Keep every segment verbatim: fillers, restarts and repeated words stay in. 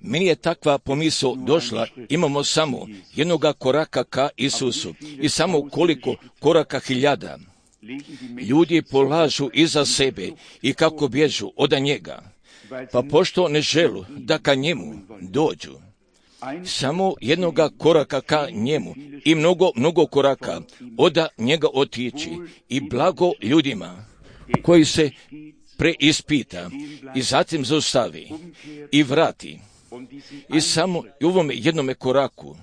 Meni je takva pomisao došla, imamo samo jednoga koraka ka Isusu i samo koliko koraka hiljada. Ljudi polažu iza sebe i kako bježu od njega, pa pošto ne želu da ka njemu dođu. Samo jednoga koraka ka njemu i mnogo, mnogo koraka od njega otići i blago ljudima koji se preispita i zatim zaustavi i vrati. I samo u ovome jednome koraku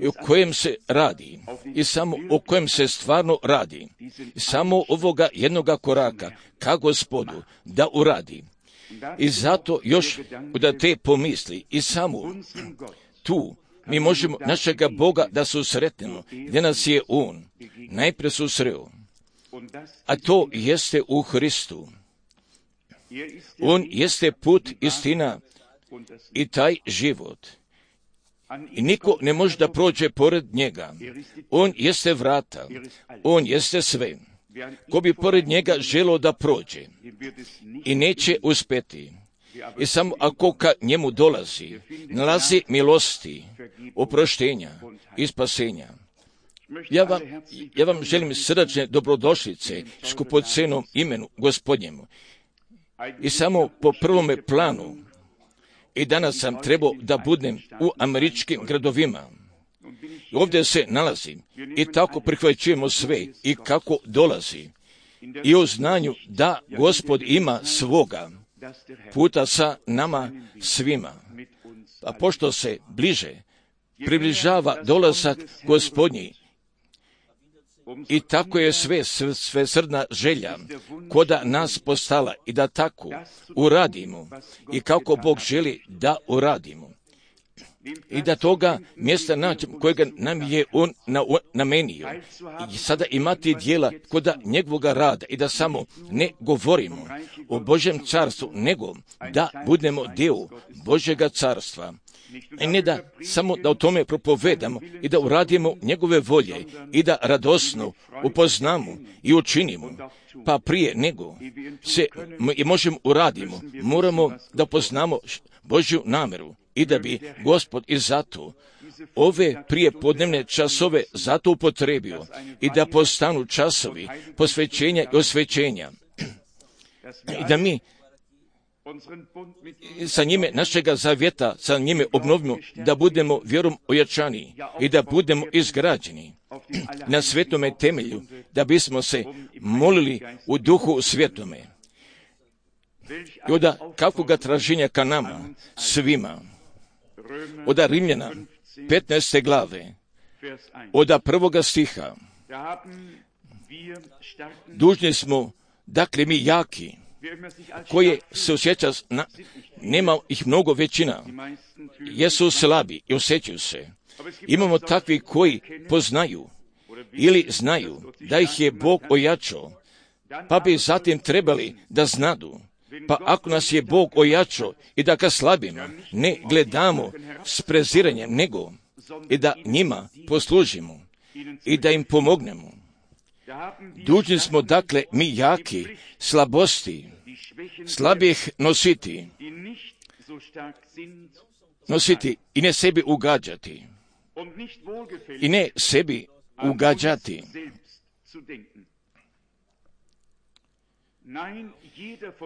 o kojem se radi i samo o kojem se stvarno radi, samo ovoga jednoga koraka ka Gospodu da uradi. I zato još da te pomisli i samo tu mi možemo našega Boga da susretnemo, gdje nas je On najprije susreo, a to jeste u Hristu. On jeste put, istina i taj život. I niko ne može da prođe pored njega. On jeste vrata, on jeste sve. Ko bi pored njega želio da prođe i neće uspjeti. I samo ako ka njemu dolazi, nalazi milosti, oproštenja i spasenja. Ja vam, ja vam želim srdačne dobrodošlice skupocenom imenu Gospodnjemu. I samo po prvome planu, i danas sam trebao da budem u američkim gradovima. Ovdje se nalazim i tako prihvaćujemo sve i kako dolazi. I u znanju da Gospod ima svoga puta sa nama svima. A pošto se bliže približava dolazak Gospodnji, i tako je sve, sve srdna želja koda nas postala i da tako uradimo i kako Bog želi da uradimo. I da toga mjesta nađemo kojega nam je On namenio. I sada imati dijela koda njegovoga rada i da samo ne govorimo o Božjem carstvu, nego da budemo dio Božjega carstva. I ne da samo da o tome propovedamo i da uradimo njegove volje i da radosno upoznamo i učinimo. Pa prije nego se i možemo uradimo, moramo da poznamo Božju nameru i da bi Gospod i zato ove prijepodnevne časove zato upotrebio i da postanu časovi posvećenja i osvećenja. I da mi sa njime našega zavjeta, sa njime obnovimo, da budemo vjerom ojačani i da budemo izgrađeni na svetome temelju, da bismo se molili u duhu svetome. I od kakvoga traženja ka nama, svima, od Rimljana petnaeste glave, od prvoga stiha, dužni smo, dakle mi jaki, koje se osjeća, na, nema ih mnogo većina, jesu slabi i osjećaju se. Imamo takvi koji poznaju ili znaju da ih je Bog ojačao, pa bi zatim trebali da znadu. Pa ako nas je Bog ojačao i da ga slabimo, ne gledamo s preziranjem, nego i da njima poslužimo i da im pomognemo. Dužni smo, dakle, mi jaki, slabosti, slabih nositi, nositi i ne sebi ugađati, i ne sebi ugađati.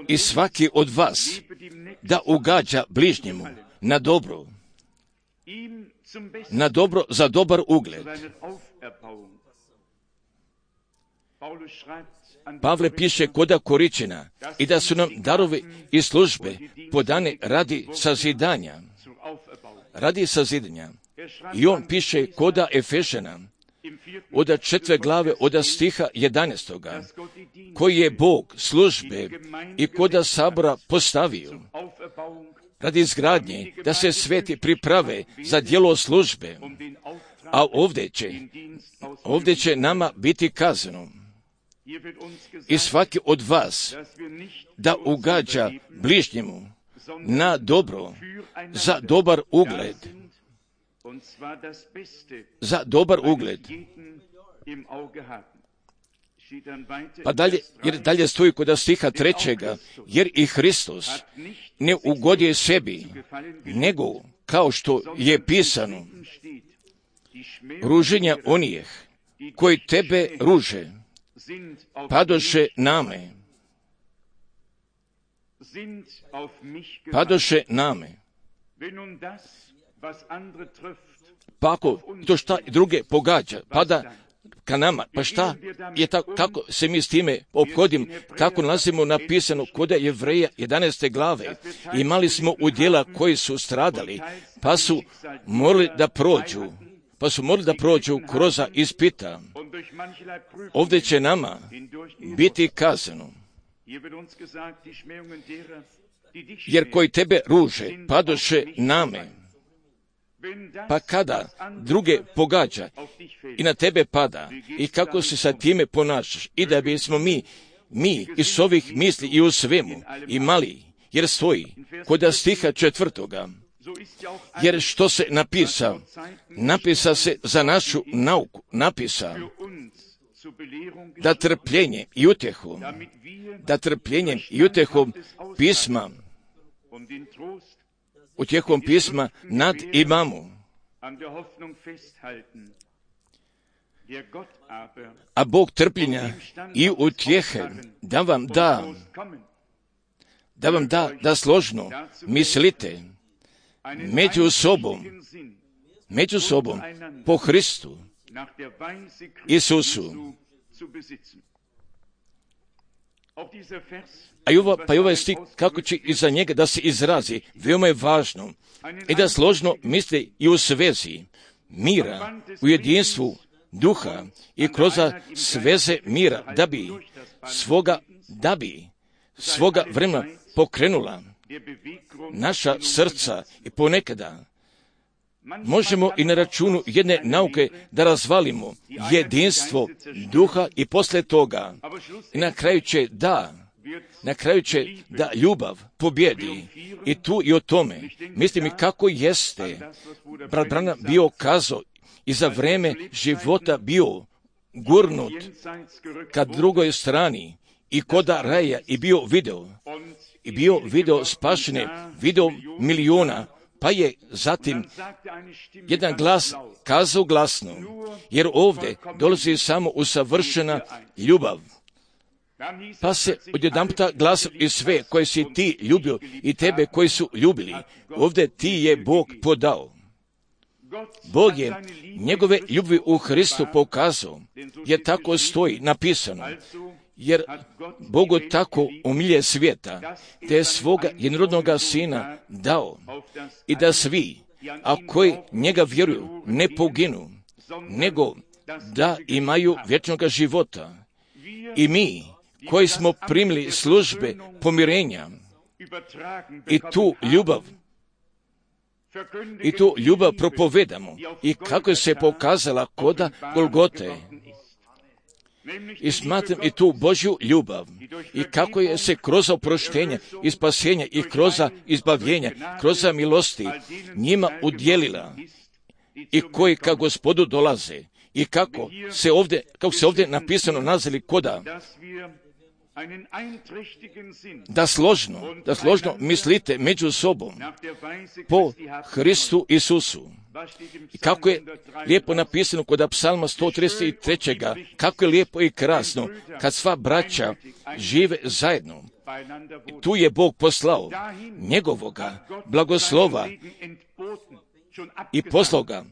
I svaki od vas da ugađa bližnjemu na dobro, na dobro za dobar ugled. Pavle piše koda Koričina i da su nam darovi i službe podane radi sazidanja. Radi sazidanja. I on piše koda Efešana od četvrte glave od stiha jedanaestoga, koji je Bog službe i koda sabora postavio radi izgradnje, da se sveti priprave za djelo službe, a ovdje će, ovdje će nama biti kazano i svaki od vas da ugađa bližnjemu na dobro za dobar ugled, za dobar ugled. Pa dalje, jer dalje stoji kod stiha trećega, jer i Hristos ne ugodije sebi, nego kao što je pisano, ruženja onih koji tebe ruže, padoše name, padoše name. Pa ako to šta druge pogađa, pada ka nama, pa šta je tako, kako se mi s time ophodim, kako nalazimo napisano kod Jevreja jedanaeste glave, imali smo udjela koji su stradali, pa su morali da prođu, pa su morali da prođu kroz ispita. Ovdje će nama biti kazano, jer koji tebe ruže, padoše name. Pa kada druge pogađa i na tebe pada i kako se sa time ponašaš i da bismo mi, mi iz ovih misli i u svemu imali, jer stoji kod stiha četvrtoga, jer što se napisa, napisa se za našu nauku, napisa da trpljenje i utjehu, da trpljenjem i utjehom pisma, utjehom pisma nad imamo. A Bog trpljenja i utjehe da vam da, da vam da, da složno mislite među sobom, među sobom po Hristu Isusu. A i ova, pa i ovaj stih, kako će iza njega da se izrazi, veoma je važno i da složno misli i u svezi mira, u jedinstvu duha i kroz sveze mira, da bi svoga, da bi svoga vremena pokrenula naša srca i ponekada možemo i na računu jedne nauke da razvalimo jedinstvo duha i posle toga i na kraju će da na kraju će da ljubav pobjedi i tu i o tome. Mislim i kako jeste brat Branham bio kazao i za vreme života bio gurnut ka drugoj strani i koda raja i bio video i bio video spašene, video miliona, pa je zatim jedan glas kazao glasno, jer ovdje dolazi samo usavršena ljubav. Pa se odjedanputa glas i sve koje si ti ljubio i tebe koji su ljubili, ovdje ti je Bog podao. Bog je njegove ljubavi u Hristu pokazao, jer tako stoji napisano, jer Bogu tako umilje svijeta, te je svoga jednorodnoga sina dao i da svi, a koji njega vjeruju, ne poginu, nego da imaju vječnoga života. I mi, koji smo primili službe pomirenja i tu ljubav, i tu ljubav propovedamo i kako se pokazala koda Golgote. I smatram i tu Božju ljubav i kako je se kroz oproštenje i spasenje i kroz izbavljenje, kroz milosti njima udjelila i koji ka Gospodu dolaze i kako se ovdje, kako se ovdje napisano nazvali koda da složno, da složno mislite među sobom po Hristu Isusu. I kako je lijepo napisano kod psalma sto trideset tri. Kako je lijepo i krasno kad sva braća žive zajedno. I tu je Bog poslao njegovoga blagoslova i poslao ga.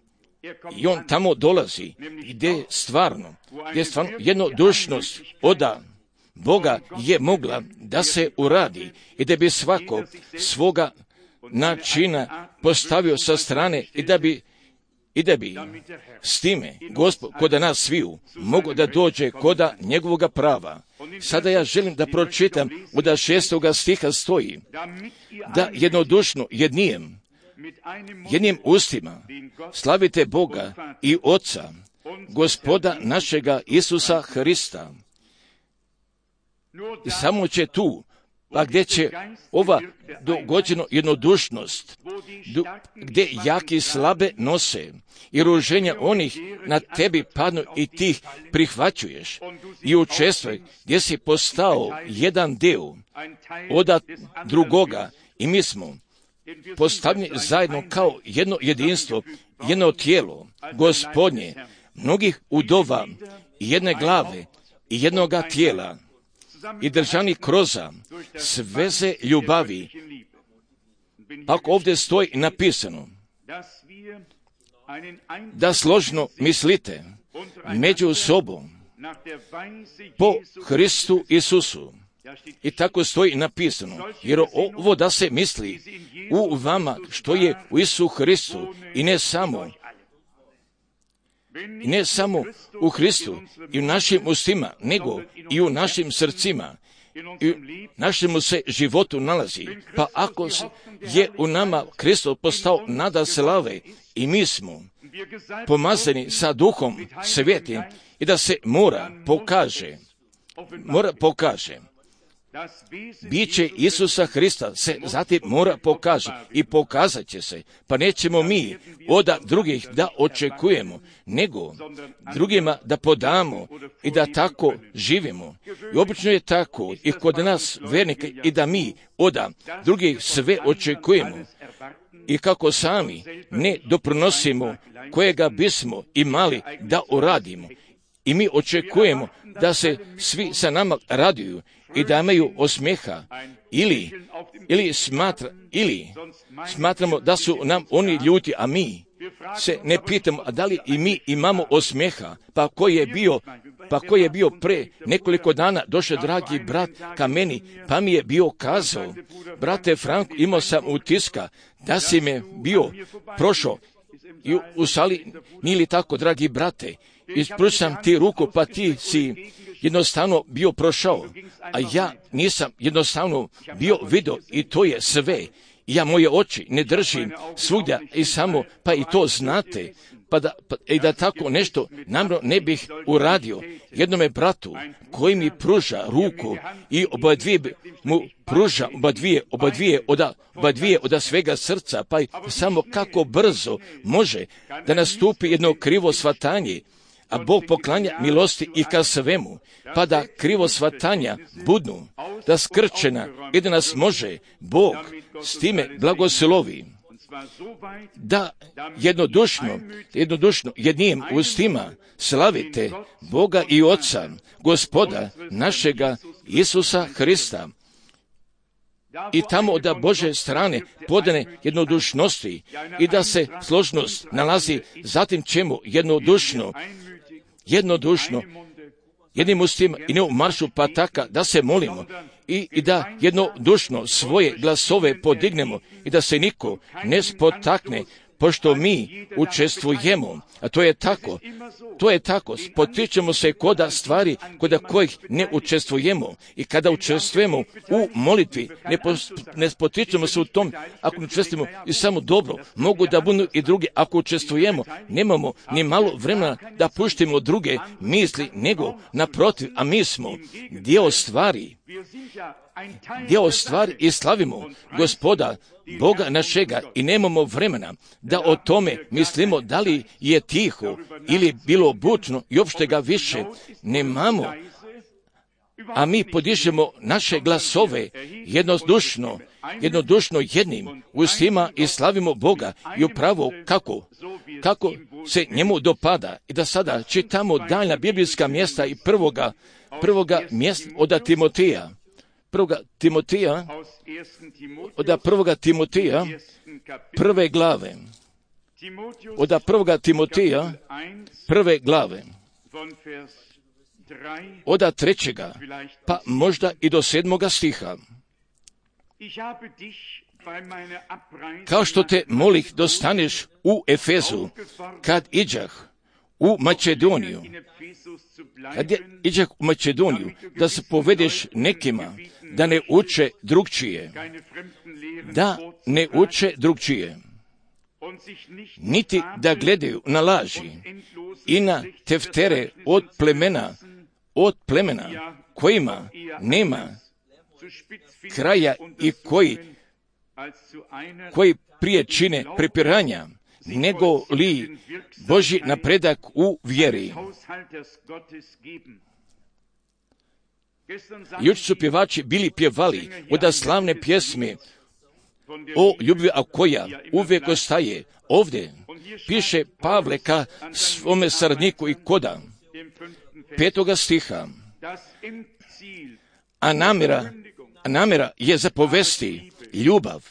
I on tamo dolazi gdje stvarno, gdje stvarno jednodušnost oda Boga je mogla da se uradi i da bi svako svoga načina postavio sa strane i da bi i da bi s time Gospod koda nas sviju mogo da dođe koda njegovoga prava. Sada ja želim da pročitam od šestoga stiha stoji da jednodušno jednijem jednim ustima slavite Boga i Oca, Gospoda našega Isusa Hrista. I samo će tu pa gdje će ova dogođeno jednodušnost, gdje jaki slabe nose i ruženja onih na tebi padnu i ti ih prihvaćuješ i učestvuj gdje si postao jedan dio od drugoga i mi smo postavljeni zajedno kao jedno jedinstvo, jedno tijelo Gospodnje, mnogih udova i jedne glave i jednoga tijela i držani kroza sveze ljubavi. Ako ovdje stoji napisano da složno mislite među sobom po Hristu Isusu. I tako stoji napisano, jer ovo da se misli u vama što je u Isusu Hristu i ne samo, i ne samo u Hristu i u našim ustima, nego i u našim srcima i u našemu se životu nalazi. Pa ako je u nama Hristos postao nada slave i mi smo pomazani sa Duhom Svetim i da se mora pokaže, mora pokaže, biće Isusa Hrista se zatim mora pokaže i pokazat će se, pa nećemo mi od drugih da očekujemo, nego drugima da podamo i da tako živimo. I obično je tako i kod nas vernika i da mi od drugih sve očekujemo i kako sami ne doprinosimo kojega bismo imali da uradimo. I mi očekujemo da se svi sa nama raduju i da imaju osmijeha ili, ili, smatra, ili smatramo da su nam oni ljuti, a mi se ne pitamo, a da li i mi imamo osmijeha, pa koji je bio, pa koji je bio pre nekoliko dana došao dragi brat ka meni, pa mi je bio kazao, brate Franko, imao sam utiska da si me bio prošao i u sali, nije li tako, dragi brate, ispručam ti ruku, pa ti si jednostavno bio prošao, a ja nisam jednostavno bio vidio i to je sve. Ja moje oči ne držim svugdje i samo, pa i to znate, pa da, pa, i da tako nešto namjerno ne bih uradio jednome bratu koji mi pruža ruku i oba dvije mu pruža oba dvije, oba dvije, oda, oba dvije oda svega srca, pa i samo kako brzo može da nastupi jedno krivo shvatanje, a Bog poklanja milosti i ka svemu, pa da krivo shvatanja budnu, da skrčena i da nas može Bog s time blagoslovi, da jednodušno, jednodušno jednim ustima slavite Boga i Oca, Gospoda našega Isusa Hrista, i tamo od Bože strane podane jednodušnosti i da se složnost nalazi zatim čemu jednodušno, jednodušno, jednim ustima i ne u maršu pataka da se molimo i, i da jednodušno svoje glasove podignemo i da se niko ne spotakne, pošto mi učestvujemo, a to je tako, to je tako, spotičemo se koda stvari koda kojih ne učestvujemo i kada učestvujemo u molitvi, ne, pos, ne spotičemo se u tom, ako ne učestvujemo i samo dobro, mogu da budu i drugi, ako učestvujemo, nemamo ni malo vremena da puštimo druge misli, nego naprotiv, a mi smo dio stvari, dio stvari i slavimo Gospoda, Boga našega i nemamo vremena da o tome mislimo da li je tiho ili bilo bučno i uopšte ga više nemamo, a mi podižemo naše glasove jednodušno, jednodušno jednim ustima i slavimo Boga i upravo kako, kako se njemu dopada. I da sada čitamo daljna biblijska mjesta i prvoga, prvoga mjesta od Timotija. Prvoga Timotija, od prvoga Timotija, prve glave, od prvoga Timotija, prve glave, od trećega, pa možda i do sedmoga stiha. Kao što te molih dostaneš u Efezu, kad iđah u Makedoniju, kad je iđah u Makedoniju, da se povedeš nekima, da ne uče drugčije, da ne uče drugčije, niti da gledaju na laži i na teftere od plemena, od plemena kojima nema kraja i koji, koji prije čine prepiranja, nego li Božji napredak u vjeri. Jučer su pjevači bili pjevali od slavne pjesme o ljubavi, a koja uvijek ostaje. Ovdje piše Pavle ka svome saradniku i koda petoga stiha, a namjera, a namjera je zapovesti ljubav,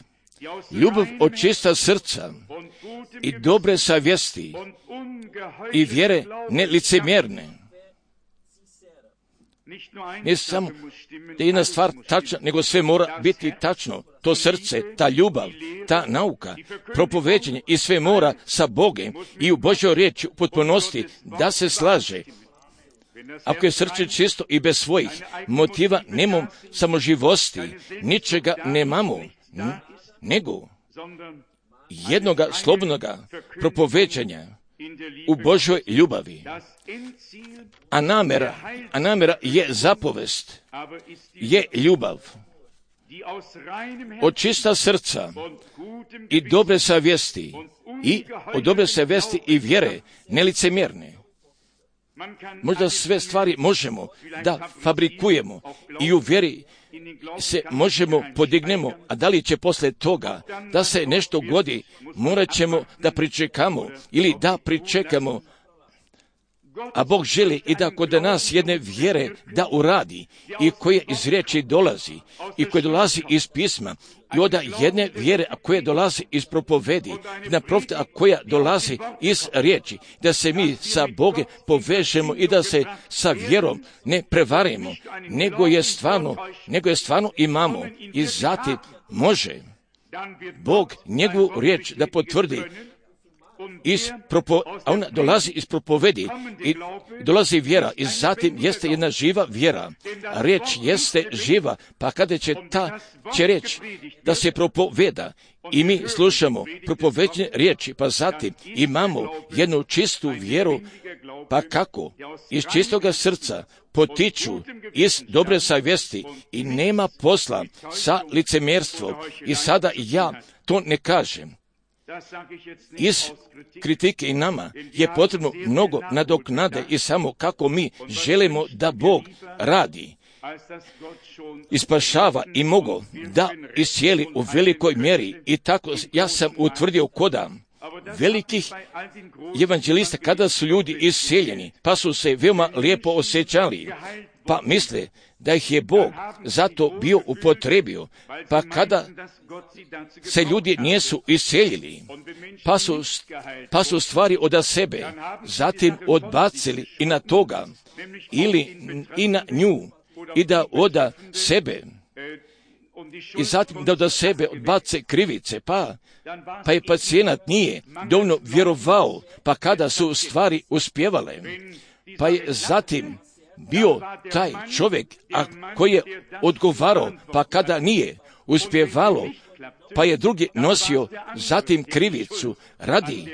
ljubav od čista srca i dobre savjesti i vjere nelicemjerne. Ne samo da je jedna stvar tačna, nego sve mora biti tačno. To srce, ta ljubav, ta nauka, propoveđenje i sve mora sa Bogom i u Božjoj riječi u potpunosti da se slaže. Ako je srce čisto i bez svojih motiva, nemamo samoživosti, ničega nemamo, nego jednoga slobodnoga propoveđanja u Božoj ljubavi. A namjera, a namjera je zapovest, je ljubav od čista srca i dobre savjesti i od dobre savjesti i vjere nelicemjerne. Možda sve stvari možemo da fabrikujemo i u vjeri se možemo podignemo, a da li će posle toga da se nešto godi, morat ćemo da pričekamo ili da pričekamo, a Bog želi i da kod nas jedne vjere da uradi i koje iz riječi dolazi i koje dolazi iz pisma i onda jedne vjere a koje dolazi iz propovedi, jedna profeta a koja dolazi iz riječi, da se mi sa Boge povežemo i da se sa vjerom ne prevarimo, nego je stvarno, nego je stvarno imamo i zatim može Bog njegovu riječ da potvrdi iz propo, a ona dolazi iz propovedi i dolazi vjera i zatim jeste jedna živa vjera. A riječ jeste živa, pa kada će ta će reći da se propoveda i mi slušamo propoveđene riječi, pa zatim imamo jednu čistu vjeru, pa kako? Iz čistoga srca potiču iz dobre savjesti i nema posla sa licemjerstvom. I sada ja to ne kažem iz kritike i nama je potrebno mnogo nadoknade i samo kako mi želimo da Bog radi, ispašava i mogo da iscijeli u velikoj mjeri. I tako ja sam utvrdio koda velikih evanđelista kada su ljudi iscijeljeni, pa su se veoma lijepo osjećali, pa misle da ih je Bog zato bio upotrebio, pa kada se ljudi nisu iscijeljili, pa su, pa su stvari od sebe zatim odbacili i na toga, ili i na nju, i da od sebe, i zatim da od sebe odbace krivice, pa, pa je pacijenat nije dovoljno vjerovao, pa kada su stvari uspjevale, pa je zatim bio taj čovjek a koji je odgovarao, pa kada nije uspjevalo, pa je drugi nosio zatim krivicu radi,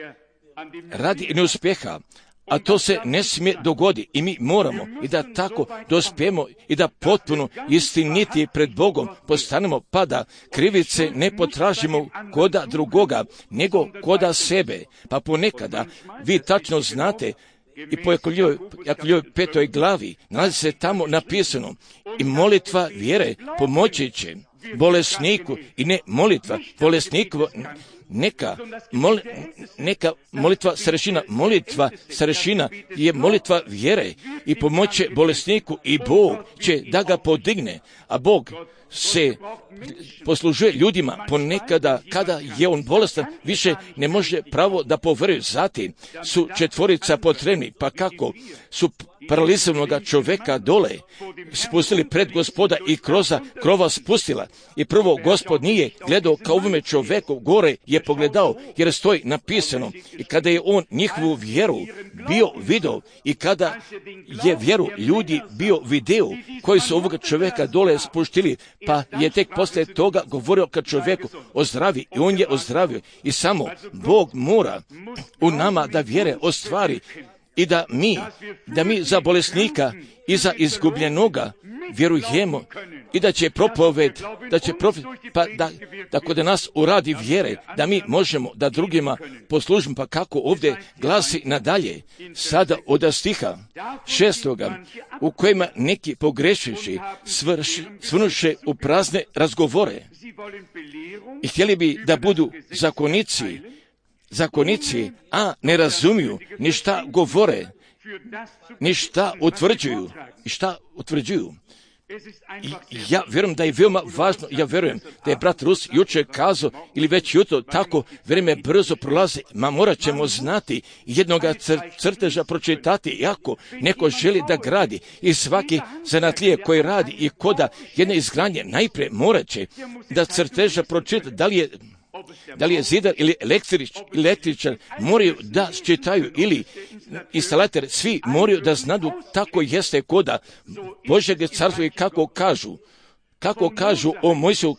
radi neuspjeha, a to se ne smije dogoditi i mi moramo i da tako dospijemo i da potpuno istiniti pred Bogom postanemo, pa da krivice ne potražimo koda drugoga, nego koda sebe. Pa ponekada vi tačno znate i po Jakovljevoj petoj glavi nalazi se tamo napisano i molitva vjere pomoći će bolesniku i ne molitva bolesnikovo, neka, mol, neka molitva starešina, molitva starešina je molitva vjere i pomoće bolesniku i Bog će da ga podigne, a Bog se poslužuje ljudima ponekada kada je on bolestan, više ne može pravo da poveruje. Zatim su četvorica potrebni, pa kako su paralizovanog čovjeka dole spustili pred Gospoda i kroza krova spustila. I prvo Gospod nije gledao kao ovome čovjeku, gore je pogledao jer stoji napisano. I kada je on njihovu vjeru bio video i kada je vjeru ljudi bio video koji su ovoga čovjeka dole spuštili, pa je tek poslije toga govorio kad čovjeku ozdravi i on je ozdravio. I samo Bog mora u nama da vjere ostvari i da mi, da mi za bolesnika i za izgubljenoga vjerujemo i da će propoved, da će propoved, pa da, da kod nas uradi vjere, da mi možemo da drugima poslužimo, pa kako ovdje glasi nadalje, sada od stiha šestoga, u kojima neki pogrešivši svrnuše u prazne razgovore i htjeli bi da budu zakonici, zakonici, a ne razumiju ni šta govore, ni šta utvrđuju, i šta utvrđuju. I ja vjerujem da je veoma važno, ja vjerujem da je brat Rus jučer kazao, ili već jutro, tako vrijeme brzo prolazi, ma morat ćemo znati jednoga cr- crteža pročitati, jako neko želi da gradi i svaki zanatlije koji radi i koda jedne izgradnje, najprije morat će da crteža pročita, da li je da li je zidar ili električ, električar, moraju da čitaju ili instalator, svi moraju da znadu tako jeste koda Božjeg carstva i kako kažu, kako kažu o Mojsiju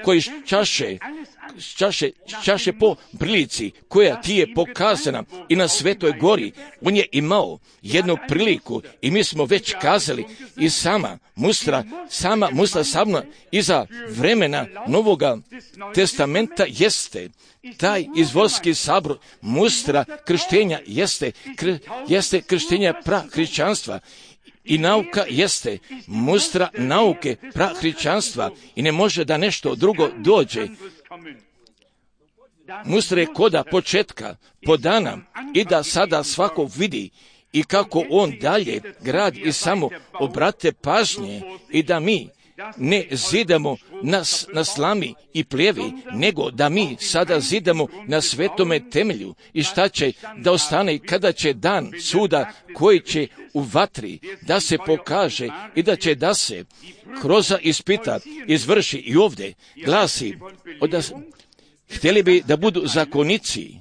koji čaše, čaše, čaše po prilici koja ti je pokazana i na Svetoj gori. On je imao jednu priliku i mi smo već kazali i sama mustra, sama mustra samna iza vremena Novoga testamenta jeste taj izvolski sabor, mustra krštenja jeste, kr, jeste krštenja prahrišćanstva. I nauka jeste mustra nauke prahrišćanstva i ne može da nešto drugo dođe. Mustra je koda početka, podana i da sada svako vidi i kako on dalje gradi i samo obrate pažnje i da mi ne zidamo na, na slami i pljevi, nego da mi sada zidamo na svetome temelju i šta će da ostane kada će dan suda koji će u vatri da se pokaže i da će da se kroz ispita izvrši i ovdje glasi, da htjeli bi da budu zakonici,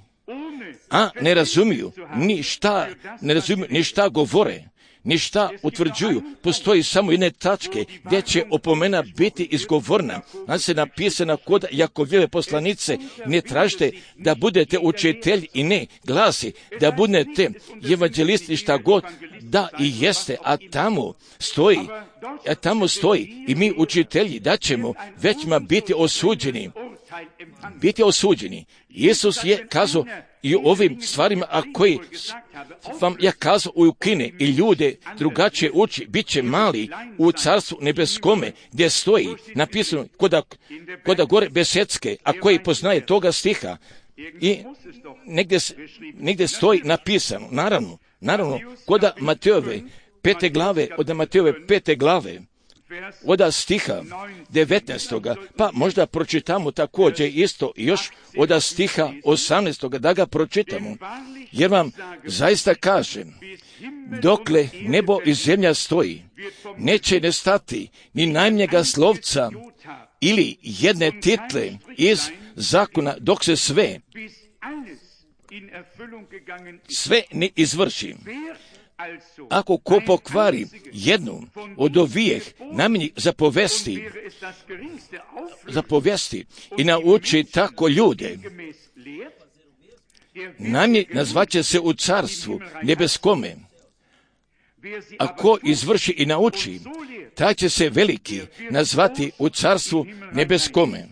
a ne razumiju ni šta, ne razumiju ni šta govore, ni šta utvrđuju. Postoji samo jedne tačke gdje će opomena biti izgovorna. Znači se napisana kod Jakovljeve poslanice, ne tražite da budete učitelji i ne glasi, da budete evanđelisti šta god, da i jeste, a tamo stoji, a tamo stoji i mi učitelji da ćemo većma biti osuđeni. Biti osuđeni. Isus je kazao i o ovim stvarima, a koji vam ja kazao ukine i ljude drugačije uči, bit će mali u carstvu nebeskome, gdje stoji napisano koda, koda gore besedske, a koji poznaje toga stiha i negdje, negdje stoji napisano, naravno, naravno, koda Matejove pete glave, od Matejove pete glave, od stiha devetnaestoga, pa možda pročitamo također isto još od stiha osamnaestoga, da ga pročitamo, jer vam zaista kažem, dokle nebo i zemlja stoji, neće nestati ni najmnjega slovca ili jedne title iz zakona, dok se sve, sve ne izvrši. Ako ko pokvari jednu od ovijeh namjenjih za povesti, za povesti i nauči tako ljude, namjenjih nazvaće se u carstvu nebeskome. A ko izvrši i nauči, taj će se veliki nazvati u carstvu nebeskome.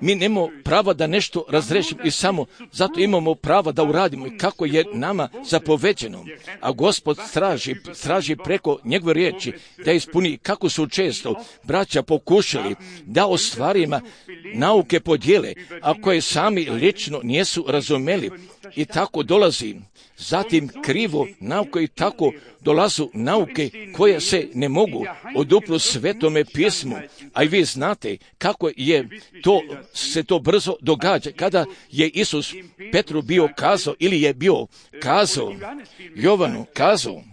Mi nemamo prava da nešto razrešimo i samo zato imamo prava da uradimo i kako je nama zapoveđeno. A Gospod straži, straži preko njegove riječi da ispuni kako su često braća pokušali da o stvarima nauke podijele, a koje sami lično nisu razumeli i tako dolazi. Zatim krivo nauke i tako dolazu nauke koje se ne mogu odupru Svetome pismu, a i vi znate kako je to, se to brzo događa. Kada je Isus Petru bio kazao ili je bio kazao, Jovanu kazao,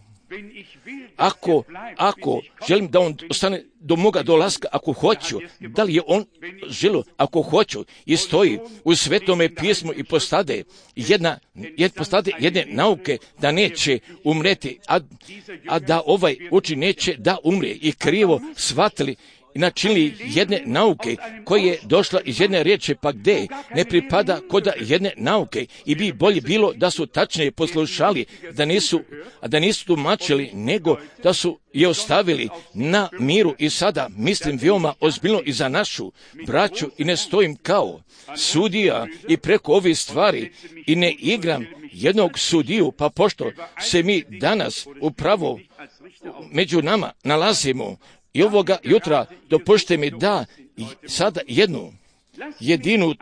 ako, ako želim da on ostane do moga dolaska, ako hoću, da li je on želio, ako hoću, i stoji u Svetome pismu i postade jedna, jed, postade jedne nauke da neće umreti, a, a da ovaj uči neće da umre i krivo shvatili i načinili jedne nauke koja je došla iz jedne riječi, pa gdje ne pripada kod jedne nauke i bi bolje bilo da su tačnije poslušali, da nisu, a da nisu tumačili, nego da su je ostavili na miru. I sada mislim veoma ozbiljno i za našu braću i ne stojim kao sudija i preko ovih stvari i ne igram jednog sudiju, pa pošto se mi danas upravo među nama nalazimo i ovoga jutra dopušte mi da sada jednu jedinu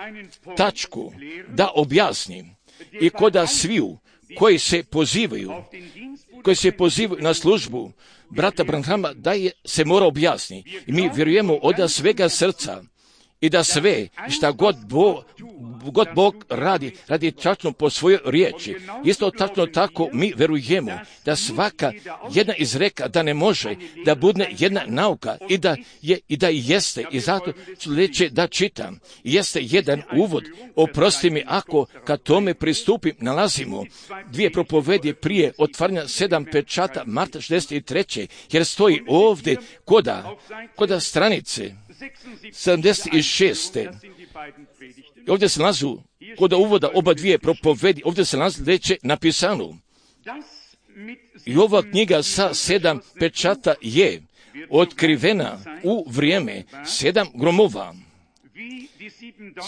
tačku da objasnim i koda sviju koji se pozivaju, koji se pozivaju na službu brata Branhama, da je se mora objasniti. I mi vjerujemo od svega srca i da sve šta god Bog, god Bog radi, radi tačno po svojoj riječi. Isto tačno tako mi verujemo da svaka jedna izreka da ne može da bude jedna nauka i da je i da jeste. I zato ću reći da čitam. Jeste jedan uvod. Oprosti mi ako kad tome pristupim nalazimo dvije propovedi prije otvaranja sedam pečata marta šezdeset treće jer stoji ovdje koda, koda stranice sedamdeset šest. Ovdje se nalazu, kod uvoda oba dvije propovedi, ovdje se nalazi veće napisano. I ova knjiga sa sedam pečata je otkrivena u vrijeme sedam gromova.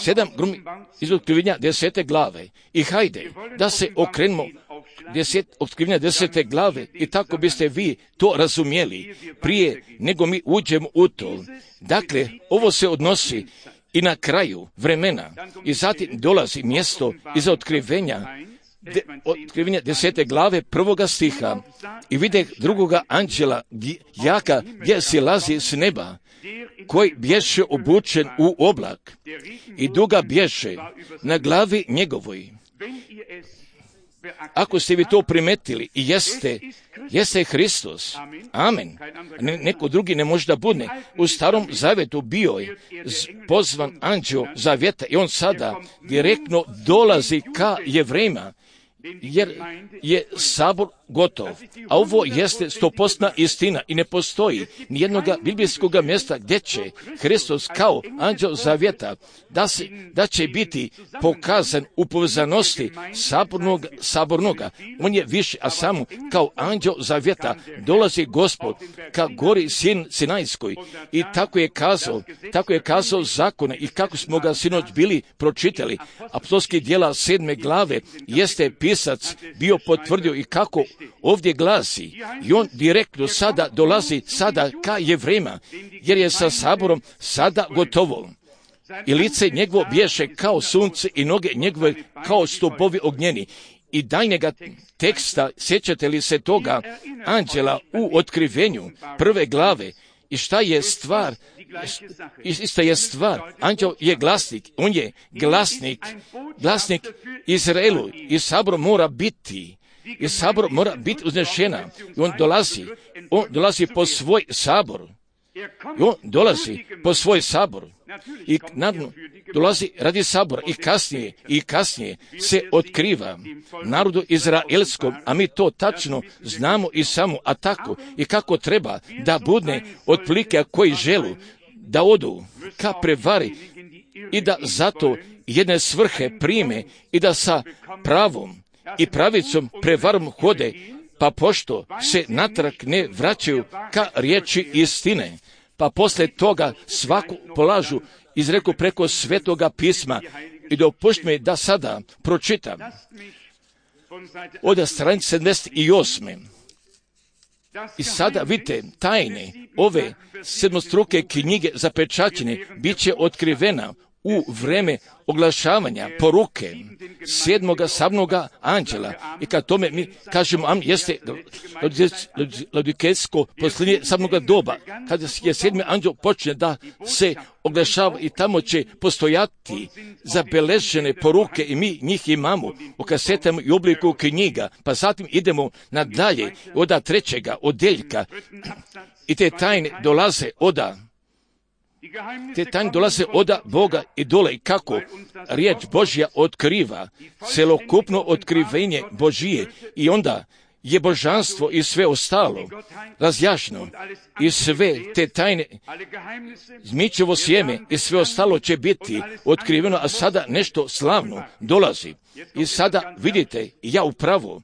Sedam gromova iz otkrivenja desete glave. I hajde, da se okrenemo deset, otkrivenja desete glave i tako biste vi to razumjeli prije nego mi uđemo u to. Dakle, ovo se odnosi i na kraju vremena i zatim dolazi mjesto iza otkrivenja, de, otkrivenja desete glave prvoga stiha i vide drugoga anđela jaka gdje silazi s neba, koji bješe obučen u oblak i duga bješe na glavi njegovoj. Ako ste vi to primetili i jeste, jeste Hristos. Amen. Ne, neko drugi ne može da bude. U starom zavjetu bio je pozvan anđeo zavjeta i on sada direktno dolazi ka Jevrejima, jer je sabor gotov. A ovo jeste stopostna istina i ne postoji nijednog biblijskog mjesta gdje će Hristos kao anđeo zavjeta da, se, da će biti pokazan u povezanosti sabornog, sabornoga. On je više, a samo kao anđeo zavjeta dolazi Gospod ka gori Sin, Sinajskoj i tako je kazao, tako je kazao zakone i kako smo ga sinoć bili pročitali. Apostolskih djela sedme glave jeste pisac bio potvrdio i kako ovdje glasi i on direktno sada dolazi sada ka Jevrejima, jer je sa saborom sada gotovo. I lice njegovo bješe kao sunce i noge njegove kao stupovi ognjeni. I daljnjega teksta, sjećate li se toga anđela u otkrivenju prve glave i šta je stvar, ista je stvar, anđel je glasnik, on je glasnik, glasnik Izraelu i sabor mora biti i sabor mora biti uznešena. I on dolazi, on dolazi po svoj sabor. I on dolazi po svoj sabor. I nadno dolazi radi sabora i kasnije, i kasnije se otkriva narodu izraelskom, a mi to tačno znamo i samo, a tako i kako treba da bude otprilike koji želu da odu ka prevari i da zato jedne svrhe prime i da sa pravom i pravicom prevarom hode, pa pošto se natrag ne vraćaju ka riječi istine, pa posle toga svaku polažu izreku preko svetoga pisma. I dopušti mi da sada pročitam od stranice sedamdeset osam. I sada vidite tajne ove sedmostruke knjige zapečaćene bit će otkrivena u vreme oglašavanja poruke sedmoga sabnoga anđela. I kad tome mi kažemo, am jeste laodikejsko posljednje sabnoga doba, kada je sedmi anđel počne da se oglašava i tamo će postojati zabeležene poruke i mi njih imamo u kasetama i obliku knjiga, pa zatim idemo nadalje od trećega odeljka i te tajne dolaze oda Te tajne dolaze oda Boga i dole i kako riječ Božja otkriva celokupno otkrivenje Božije i onda je božanstvo i sve ostalo razjašnjeno i sve te tajne, zmičevo sjeme i sve ostalo će biti otkriveno, a sada nešto slavno dolazi. I sada vidite, ja upravo,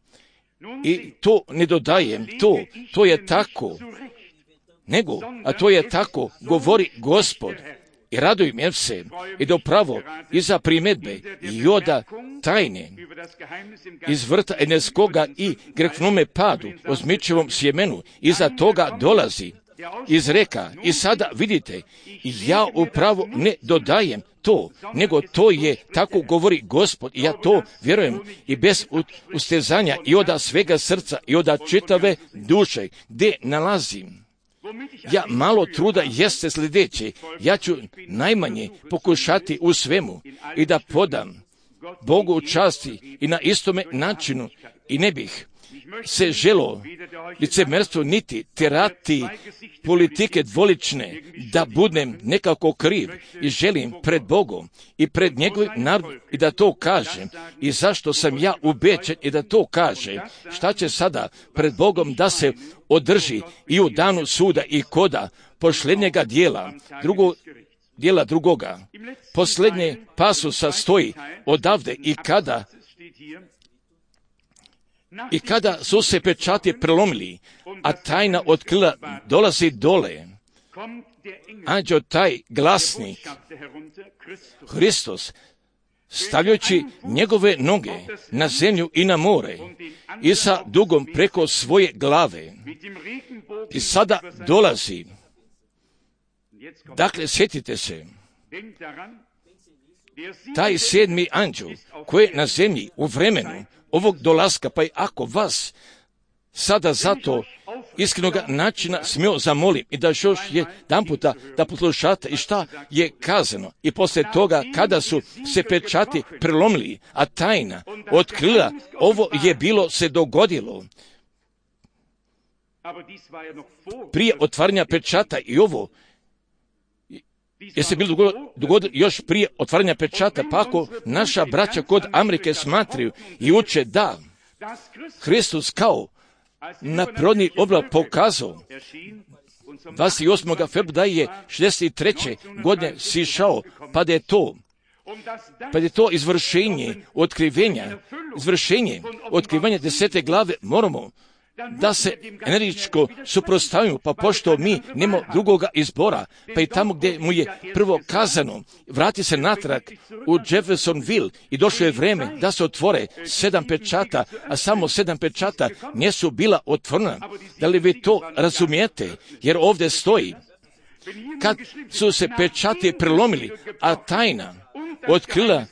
i to ne dodajem, to, to je tako, nego, a to je tako, govori Gospod. I radujem se i da upravo iza primjedbe joda tajne iz vrta Eneskoga i grehvnome padu o zmičevom sjemenu, iza toga dolazi iz reka. I sada vidite, ja upravo ne dodajem to, nego to je, tako govori Gospod, i ja to vjerujem i bez ustezanja i oda svega srca i oda čitave duše, gdje nalazim. Ja malo truda jeste sljedeće, ja ću najmanje pokušati u svemu i da podam Bogu u časti i na istome načinu i ne bih se želo licemerstvo niti terati politike dvolične da budem nekako kriv i želim pred Bogom i pred njegovim narodom i da to kažem i zašto sam ja ubeđen i da to kažem. Šta će sada pred Bogom da se održi i u danu suda i koda posljednjega dijela, drugog dijela drugoga. Posljednje pasusa stoji odavde i kada I kada su se pečati prelomili, a tajna otkrila dolazi dole, anđeo taj glasnik, Hristos, stavljajući njegove noge na zemlju i na more i sa dugom preko svoje glave. I sada dolazi. Dakle, sjetite se, taj sedmi anđeo koji je na zemlji u vremenu ovog dolaska, pa i ako vas sada zato iskrenoga načina smio zamolim i da još jedan puta da poslušate i šta je kazano. I poslije toga kada su se pečati prelomili, a tajna otkrila, ovo je bilo se dogodilo prije otvaranja pečata i ovo je se bilo dogodilo još prije otvaranja pečata, pa ako naša braća kod Amerike smatraju i uče da Hristos kao na prirodni oblik pokazao dvadeset osmog februara je šezdeset treće godine sišao, pa da je to pa da je to izvršenje otkrivenja, izvršenje otkrivanja desete glave, moramo da se energičko suprotstavimo, pa pošto mi nemamo drugoga izbora, pa i tamo gdje mu je prvo kazano, vrati se natrag u Jeffersonville i došlo je vreme da se otvore sedam pečata, a samo sedam pečata nisu bila otvorena. Da li vi to razumijete? Jer ovdje stoji, kad su se pečati prelomili, a tajna otkrila,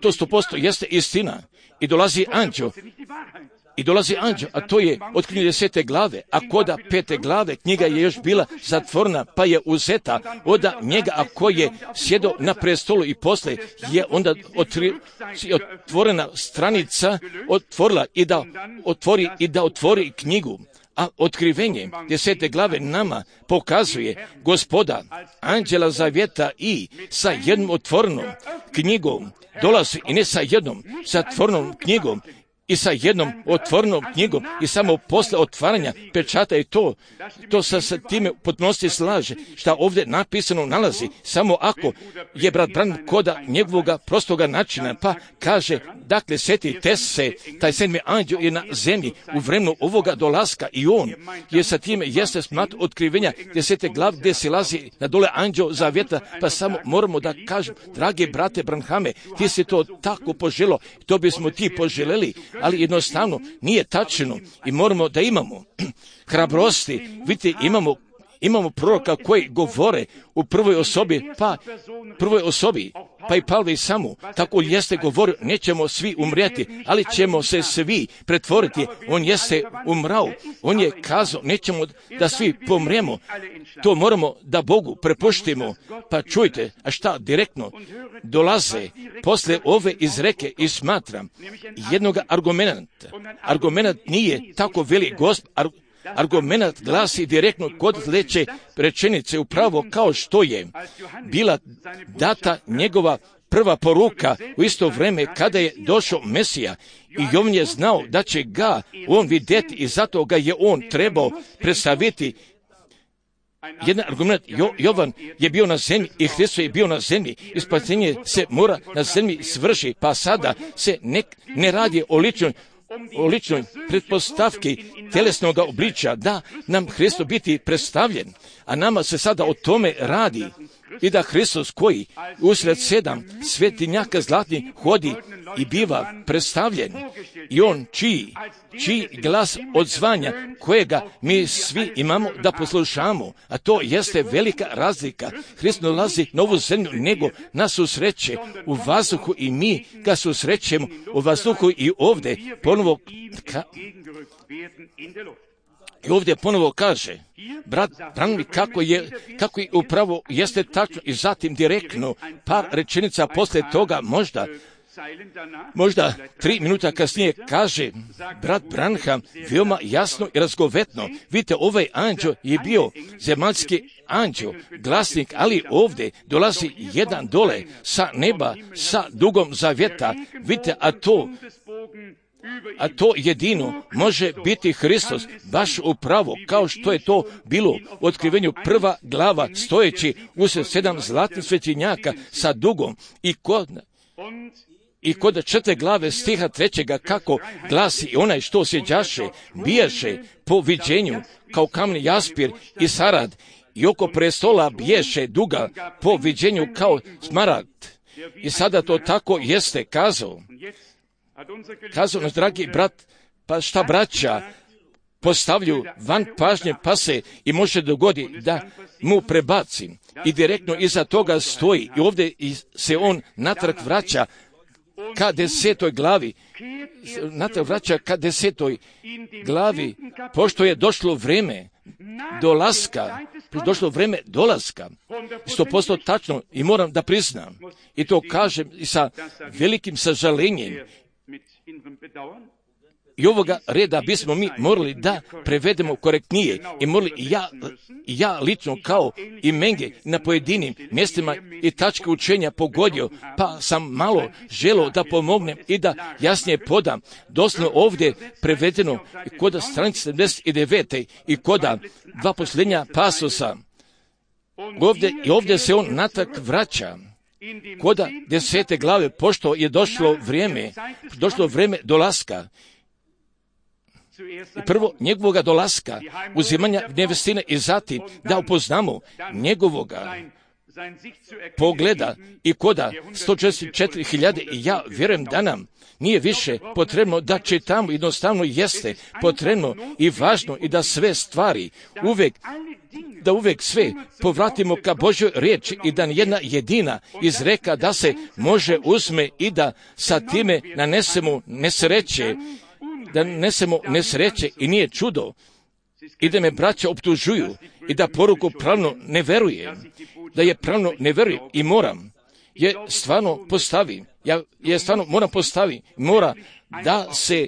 to sto posto jeste istina, i dolazi anđeo, I dolazi anđeo, a to je otkrivenje desete glave, a koda pete glave knjiga je još bila zatvorena, pa je uzeta oda njega, a koji je sjedo na prestolu i posle je onda otri, otvorena stranica otvorila i da otvori i da otvori knjigu. A otkrivenje desete glave nama pokazuje Gospoda, anđela zavjeta i sa jednom otvorenom knjigom dolazi i ne sa jednom zatvorenom knjigom, i sa jednom otvorenom knjigom i samo posle otvaranja pečata i to, to sa, sa time potpunosti slaže, šta ovdje napisano nalazi, samo ako je brat Branham koda njegovoga prostoga načina, pa kaže, dakle, sjetite se, taj sedmi anđeo je na zemlji u vremenu ovoga dolaska i on je sa time jeste smat otkrivenja desete glav gdje se lazi na dole anđeo zavjeta, pa samo moramo da kažem, drage brate Branhame, ti si to tako poželo, to bismo ti poželjeli, ali jednostavno nije tačno i moramo da imamo hrabrosti. Vidite, imamo, imamo proroka koji govore u prvoj osobi, pa prvoj osobi, pa i Pavle i samu, tako jeste govorio, nećemo svi umrijeti, ali ćemo se svi pretvoriti. On jeste umrao, on je kazao, nećemo da svi pomremo, to moramo da Bogu prepuštimo. Pa čujte, a šta direktno dolaze posle ove izreke i smatram jednog argumenta. Argument nije tako veli Gospod, argument glasi direktno kod sljedeće rečenice, upravo kao što je bila data njegova prva poruka u isto vrijeme kada je došao Mesija i on je znao da će ga on vidjeti i zato ga je on trebao predstaviti. Jedan argument, jo, Jovan je bio na zemlji i Hristos je bio na zemlji i spasenje se mora na zemlji svrši, pa sada se ne, ne radi o ličnoj, o ličnoj pretpostavki tjelesnog obličja, da nam Hristos biti predstavljen, a nama se sada o tome radi i da Hristos koji usred sedam svetinjaka zlatnih hodi i biva predstavljen i on čiji, čiji glas odzvanja kojega mi svi imamo da poslušamo, a to jeste velika razlika. Hristos dolazi na ovu zemlju, nego nas susreće u vazduhu i mi ga susrećemo u vazduhu i ovdje ponovo ka, i ovdje ponovo kaže, brat Branham, kako je, kako je upravo jeste tačno i zatim direktno par rečenica poslije toga, možda, možda tri minuta kasnije kaže brat Branham veoma jasno i razgovetno. Vidite, ovaj anđeo je bio zemaljski anđeo, glasnik, ali ovdje dolazi jedan dole sa neba, sa dugom zavjeta. Vidite, a to A to jedino može biti Hristos, baš upravo kao što je to bilo u otkrivenju prva glava, stojeći usred sedam zlatnih svetinjaka sa dugom i kod, i kod četvrte glave stiha trećega kako glasi i onaj što sjeđaše, bijaše po viđenju kao kamen jaspir i sarad i oko prestola biješe duga po viđenju kao smaragd. I sada to tako jeste kazao. Kazao naš dragi brat, pa šta braća postavlju van pažnje pa se i može dogodi da mu prebacim i direktno iza toga stoji i ovdje se on natrag vraća ka desetoj glavi, natrag vraća ka desetoj glavi, pošto je došlo vrijeme dolaska, došlo vrijeme dolaska, sto posto tačno i moram da priznam i to kažem i sa velikim sažalenjem. I ovoga reda bismo mi morali da prevedemo korektnije i morali i ja, i ja lično kao i Menge na pojedinim mjestima i tačke učenja pogodio, pa sam malo želio da pomognem i da jasnije podam. Doslovno ovdje prevedeno i koda stranice sedamdeset devet i koda dva posljednja pasosa. Ovdje, i ovdje se on natrag vraća. Koda desete glave, pošto je došlo vrijeme, došlo vrijeme dolaska, prvo njegovoga dolaska, uzimanja nevestine i zatim da upoznamo njegovoga pogleda i koda sto četrdeset četiri hiljade i ja vjerujem da nam nije više potrebno da čitamo, jednostavno jeste potrebno i važno i da sve stvari uvijek da uvijek sve povratimo ka Božjoj riječi i da jedna jedina izreka da se može uzme i da sa time nanesemo nesreće, da nanesemo nesreće i nije čudo i da me braća optužuju i da poruku pravno ne verujem, da je pravno ne verujem i moram je stvarno postavi, ja je stvarno moram postavi, mora da se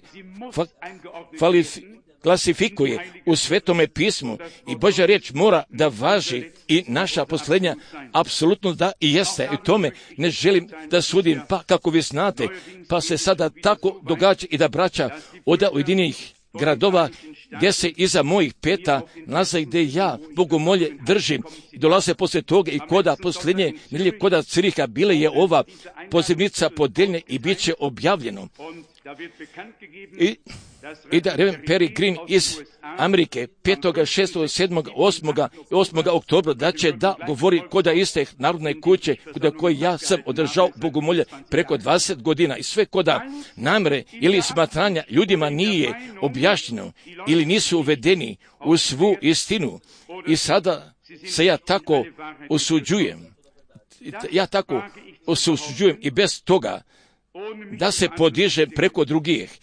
fa, falif, klasifikuje u Svetome pismu i Božja riječ mora da važi i naša posljednja apsolutno da i jeste. I tome ne želim da sudim, pa kako vi znate, pa se sada tako događa i da braća od ujedinih gradova gdje se iza mojih peta nalaze gdje ja bogomolje držim i dolaze poslije toga i koda posljednje nedjelje koda Ciriha bile je ova pozivnica podeljena i bit će objavljeno. I, i da Reverend Perry Green iz Amerike petog, šestog, sedmog, osmog oktobra da će da govori koda iste narodne kuće koda koje ja sam održao bogomolje preko dvadeset godina i sve koda namere ili smatranja ljudima nije objašnjeno ili nisu uvedeni u svu istinu i sada se ja tako osuđujem. Ja tako osuđujem i bez toga da se podiže preko drugih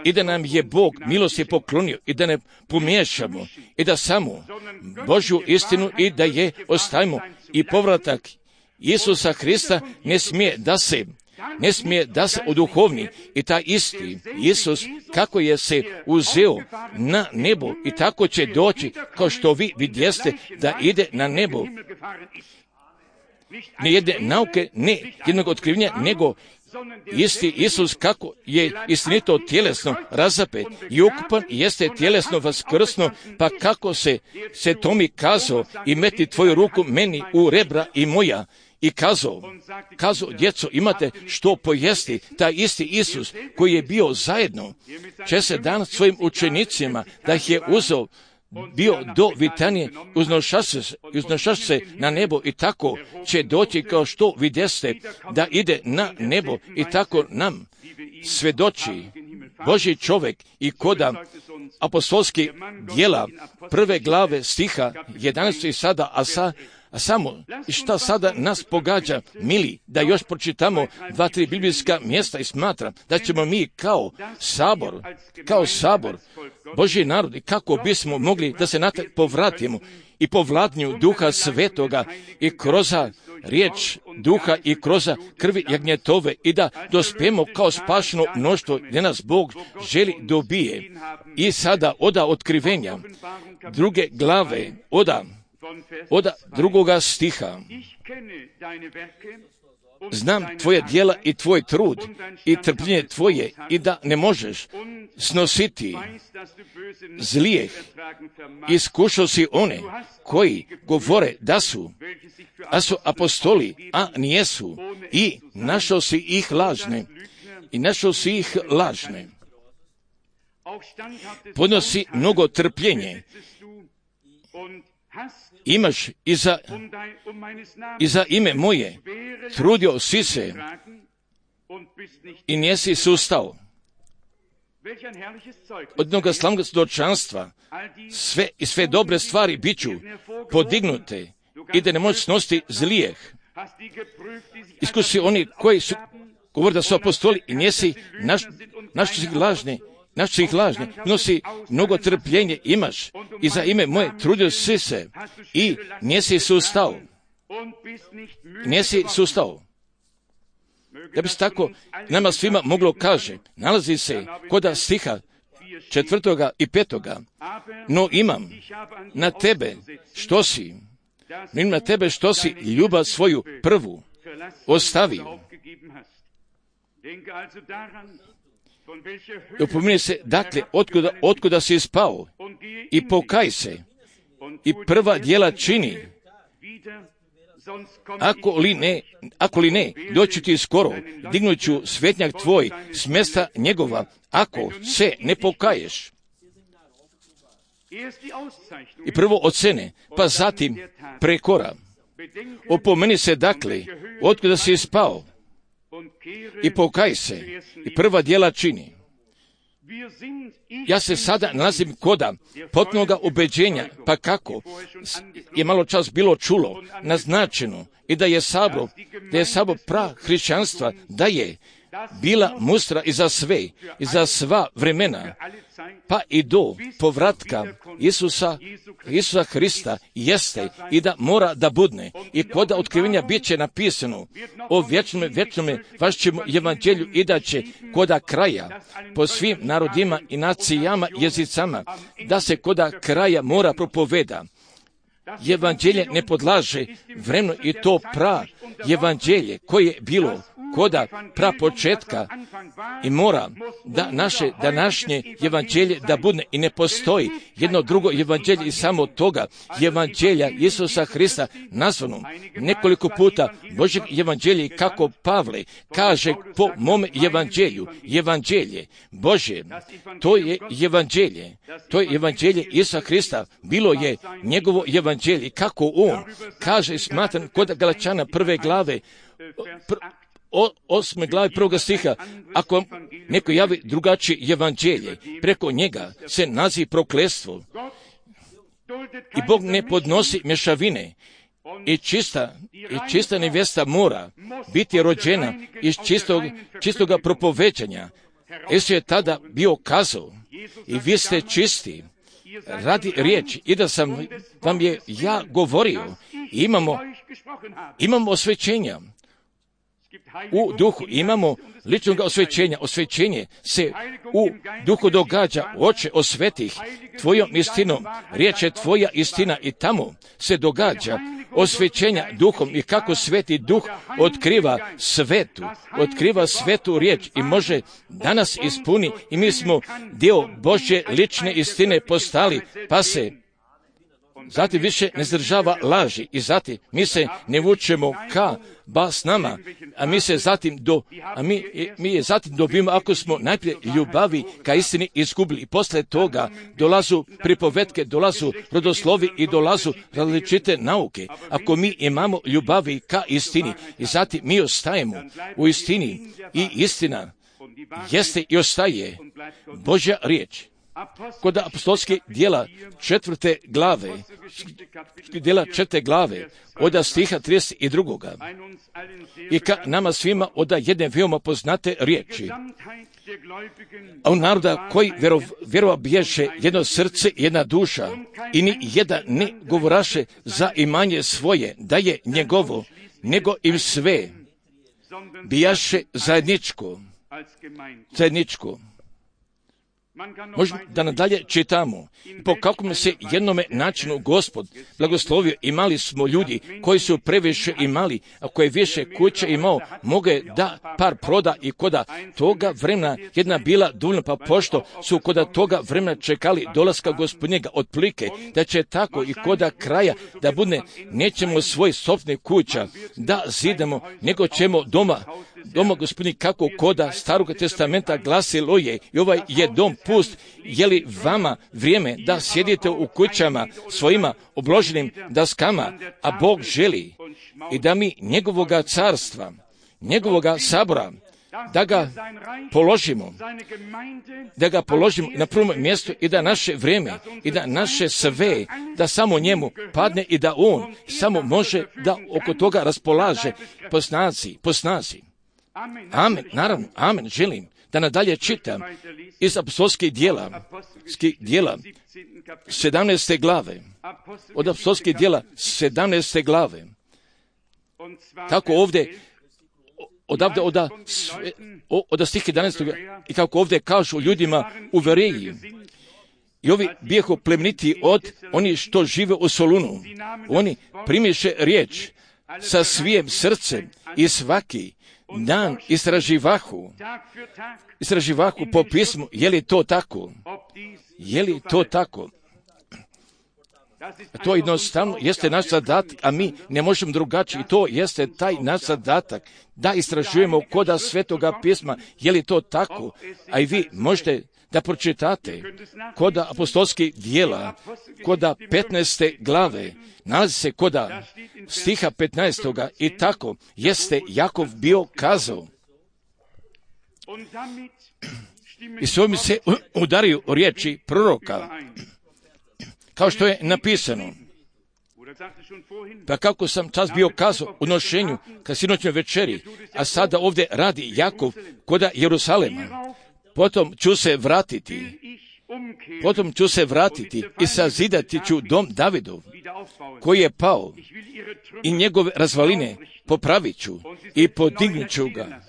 i da nam je Bog milosti poklonio i da ne pomiješamo i da samo Božju istinu i da je ostavimo i povratak Isusa Hrista ne smije da se ne smije da se oduhovni i ta isti Isus kako je se uzeo na nebo i tako će doći kao što vi vidjeste da ide na nebo. ne jedne nauke, ne jednog otkrivenja, nego isti Isus kako je istinito tjelesno razapet i ukupan jeste tjelesno vaskrsno, pa kako se, se to mi kazao i meti tvoju ruku meni u rebra i moja. I kazao, kazao, djeco, imate što pojesti, taj isti Isus koji je bio zajedno, će se dan svojim učenicima, da ih je uzeo, bio do Vitanije, uznošaš se na nebo i tako će doći kao što vidjeste da ide na nebo i tako nam svedoči Božji čovjek i koda apostolskih djela prve glave stiha jedanaest i sada, a sa A samo, šta sada nas pogađa, mili, da još pročitamo dva, tri biblijska mjesta i smatram da ćemo mi kao sabor, kao sabor, Božji narod, i kako bismo mogli da se na to povratimo i po vladnju Duha Svetoga i kroz riječ Duha i kroz krvi jagnjetove i da dospijemo kao spašeno mnoštvo gdje nas Bog želi dobije. I sada oda otkrivenja druge glave, oda od drugoga stiha. Znam tvoje djela i tvoj trud i trpljenje tvoje i da ne možeš snositi zlijeh. Iskušao si one koji govore da su, a su apostoli, a nijesu, i našao si ih lažne. I našao si ih lažne. Podnosi mnogo trpljenje. Imaš i za, i za ime moje, trudio si se i nisi sustao. Od jednoga slavnog svjedočanstva sve i sve dobre stvari bit ću podignute i da ne možeš snositi zlijeh. Iskusi oni koji su govori da su apostoli i nisi naš, naš su ih lažne, naš su ih lažne, nosi mnogo trpljenje imaš i za ime moje trudio si se i nisi sustao. Nisi sustao. Da bi se tako nama svima moglo kaže, nalazi se koda stiha četvrtoga i petoga, no imam na tebe što si, no imam na tebe što si ljubav svoju prvu ostavio. Upomeni se, dakle, otkuda, otkuda si spao i pokaj se i prva djela čini. Ako li ne, ako li ne, doći ti skoro, dignut ću svetnjak tvoj s mjesta njegova, ako se ne pokaješ. I prvo ocene, pa zatim prekora. Opomeni se, dakle, otkuda si spao i pokaj se i prva djela čini. Ja se sada nalazim koda potpunoga ubeđenja, pa kako je malo čas bilo čulo, naznačeno i da je sabor, da je sabor pra hrišćanstva, da je bila mustra i za sve, i za sva vremena, pa i do povratka Isusa, Isusa Hrista jeste i da mora da budne. I koda otkrivenja bit će napisano o vječnome, vječnome vašćem evanđelju i da će koda kraja po svim narodima i nacijama, jezicama, da se koda kraja mora propoveda. Evanđelje ne podlaže vremenu i to pra evanđelje koje je bilo koda pra početka i mora da naše današnje evanđelje da budne i ne postoji jedno drugo evanđelje i samo toga evanđelja Isusa Hrista nazvano nekoliko puta Božjeg evanđelja kako Pavle kaže po mome evanđelju, evanđelje Božje, to je evanđelje, to je evanđelje Isusa Hrista, bilo je njegovo evanđelje, kako on kaže, smatram kod Galačana prve glave, pr, O, osme glavi prvoga stiha, ako neko javi drugačije evanđelje, preko njega se nazivi prokletstvo. I Bog ne podnosi mješavine. I čista, i čista nevjesta mora biti rođena iz čistog, čistoga propoveđanja. Isus je tada bio kazao, i vi ste čisti radi riječi, i da sam vam je ja govorio, imamo, imamo osvećenja. u duhu imamo ličnog osvećenja. Osvećenje se u duhu događa. Oče, osveti ih tvojom istinom. Riječ je tvoja istina i tamo se događa osvećenja duhom i kako sveti duh otkriva svetu, otkriva svetu riječ i može danas ispuni i mi smo dio Božje lične istine postali, pa se zatim više ne zdržava laži i zatim mi se ne vučemo ka ba s nama, a mi se zatim do, a mi, mi je zatim dobijemo ako smo najprije ljubavi ka istini izgubili i posle toga dolazu pripovetke, dolazu rodoslovi i dolazu različite nauke. Ako mi imamo ljubavi ka istini i zatim mi ostajemo u istini i istina jeste i ostaje Božja riječ. Kod apostolskih dijela četvrte glave, dijela četvrte glave, od stiha trideset dva. I ka nama svima oda jedne veoma poznate riječi. A u naroda koji vjerov, vjerova biješe jedno srce, jedna duša, i ni jedan ne govoraše za imanje svoje, da je njegovo, nego im sve bijaše zajedničko, zajedničko. Možemo da nadalje čitamo. Po kakvom se jednome načinu Gospod blagoslovio, imali smo ljudi koji su previše imali, a koje više kuće imao, moge da par proda i koda toga vremena jedna bila dovoljna, pa pošto su koda toga vremena čekali dolaska Gospodnjega otplike, da će tako i koda kraja da bude, nećemo svoj sopstveni kuća da zidamo, nego ćemo doma doma Gospodnji kako koda Starog testamenta glasilo je i ovaj je dom pust. Je li vama vrijeme da sjedite u kućama svojima obloženim daskama, a Bog želi i da mi njegovoga carstva, njegovoga sabora, da ga položimo, da ga položimo na prvom mjestu i da naše vrijeme i da naše sve, da samo njemu padne i da on samo može da oko toga raspolaže po snazi, po snazi. Amen, naravno, amen, želim da nadalje čitam iz apostolskih dijela, dijela sedamnaeste glave, od apostolskih dijela sedamnaeste glave. Tako ovdje, odavde oda, oda stih jedanaestog i kako ovdje kažu ljudima u Vereji, i ovi bijehu plemeniti od oni što žive u Solunu. Oni primiše riječ sa svijem srcem i svaki dan istraživahu, istraživahu po pismu, je li to tako? Je li to tako? To jednostavno jeste naš zadatak, a mi ne možemo drugačije. I to jeste taj naš zadatak, da istražujemo koda svetoga pisma, je li to tako? A i vi možete da pročitate koda apostolskih dijela, koda petnaeste glave, nalazi se koda stiha petnaestoga i tako jeste Jakov bio kazao. I s ovim se udaraju riječi proroka, kao što je napisano. Pa kako sam čas bio kazao u nošenju ka sinoćnoj večeri, a sada ovdje radi Jakov koda Jerusalema. Potom ću se vratiti, potom ću se vratiti i sazidati ću dom Davidov, koji je pao, i njegove razvaline popravit ću i podignut ću ga.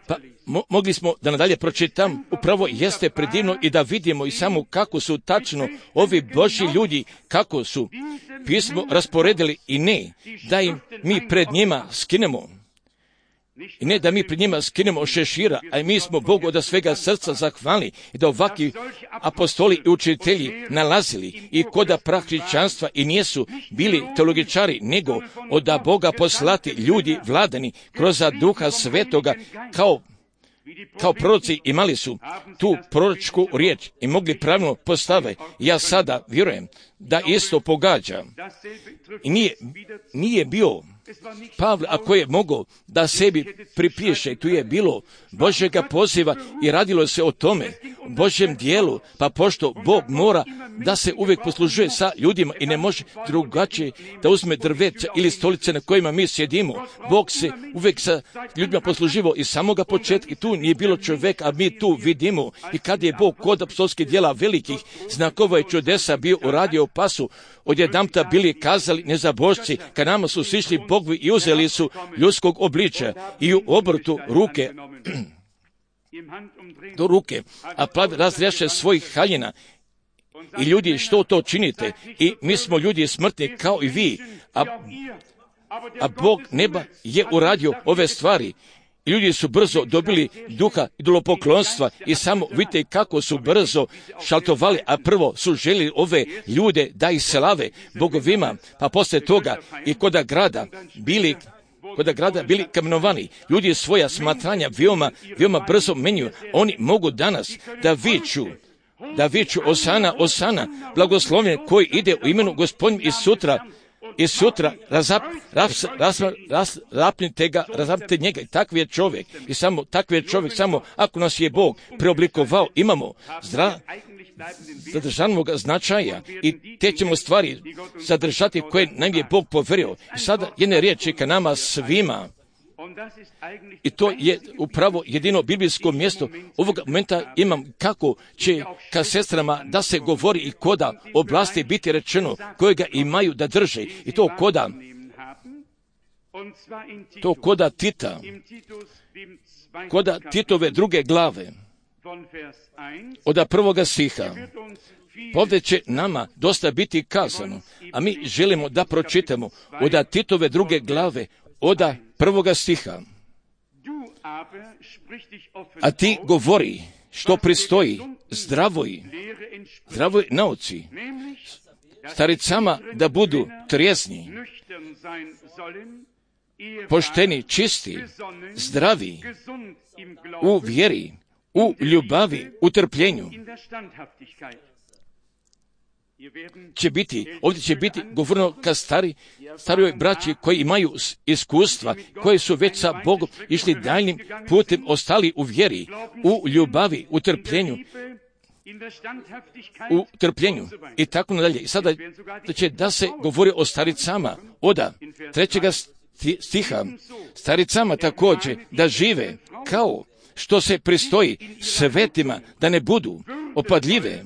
Pa mo- mogli smo da nadalje pročitam, upravo jeste predivno i da vidimo i samo kako su tačno ovi Božji ljudi, kako su pismo rasporedili i ne da im mi pred njima skinemo. I ne da mi pred njima skinemo šešira, a mi smo Bogu od svega srca zahvalni i da ovakvi apostoli i učitelji nalazili i koda prah hrišćanstva i nijesu bili teologičari, nego od da Boga poslati ljudi vladani kroz duha svetoga kao kao proroci imali su tu proročku riječ i mogli pravilno postave. Ja sada vjerujem da isto pogađa. I nije, nije bio Pavle, ako je mogao da sebi pripiše, tu je bilo Božjega poziva i radilo se o tome, Božjem dijelu, pa pošto Bog mora da se uvijek poslužuje sa ljudima i ne može drugačije da uzme drveća ili stolice na kojima mi sjedimo. Bog se uvijek sa ljudima posluživao i samoga početka i tu nije bilo čovjeka, a mi tu vidimo i kad je Bog kod apostolskih djela velikih znakova i čudesa bio uradio pa su odjedanput bili kazali nezabožci, kad nama su sišli bogovi i uzeli su ljudskog obličja i u obrtu ruke do ruke, a plavi razrjaše svojih haljina. I ljudi, što to činite? I mi smo ljudi smrtni kao i vi, a, a Bog neba je uradio ove stvari. I ljudi su brzo dobili duha idolopoklonstva i samo vidite kako su brzo šaltovali, a prvo su željeli ove ljude da ih selave bogovima, pa poslije toga i koda grada bili Koda grada bili kamenovani. Ljudi svoja smatranja veoma, veoma brzo menjuju. Oni mogu danas da viču, da viču Osana, Osana, blagoslovljen koji ide u imenu Gospodnjem i sutra, i sutra razap, raps, ras, ras, rapnite ga, razapnite njega. I takvi je čovjek. I samo takvi je čovjek, samo ako nas je Bog preoblikovao, imamo zdra, zadržanog značaja i te ćemo stvari zadržati koje nam je Bog poverio. I sada jedne riječi ka nama svima. I to je upravo jedino biblijsko mjesto. Ovog momenta imam kako će ka sestrama da se govori i koda oblasti biti rečeno, kojega imaju da drže. I to koda, to koda Tita, koda Titove druge glave, od prvoga stiha. Ovdje će nama dosta biti kazano, a mi želimo da pročitamo od Titove druge glave, od prvoga stiha. A ti govori što pristoji zdravoj, zdravoj nauci, staricama da budu trijezni, pošteni, čisti, zdravi, u vjeri, u ljubavi, u trpljenju. Će biti, ovdje će biti govorno ka stari, starijoj braći koji imaju iskustva, koji su već sa Bogom išli daljnim putem, ostali u vjeri, u ljubavi, u trpljenju, u trpljenju i tako nadalje. I sada će da se govori o staricama, oda trećega stiha, staricama također da žive kao što se pristoji svetima, da ne budu opadljive,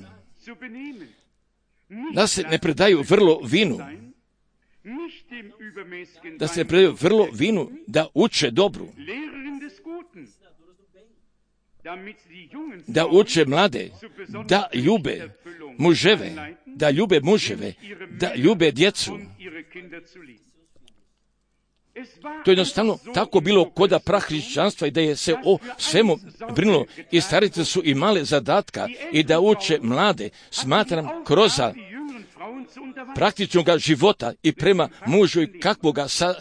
da se ne predaju vrlo vinu, da se ne predaju vrlo vinu, da uče dobru, da uče mlade, da ljube muževe, da ljube muževe, da ljube djecu. To je jednostavno tako bilo koda prahrišćanstva i da je se o svemu brinulo i starice su imale zadatka i da uče mlade, smatram kroz praktičnog života i prema mužu i kakvoga sa,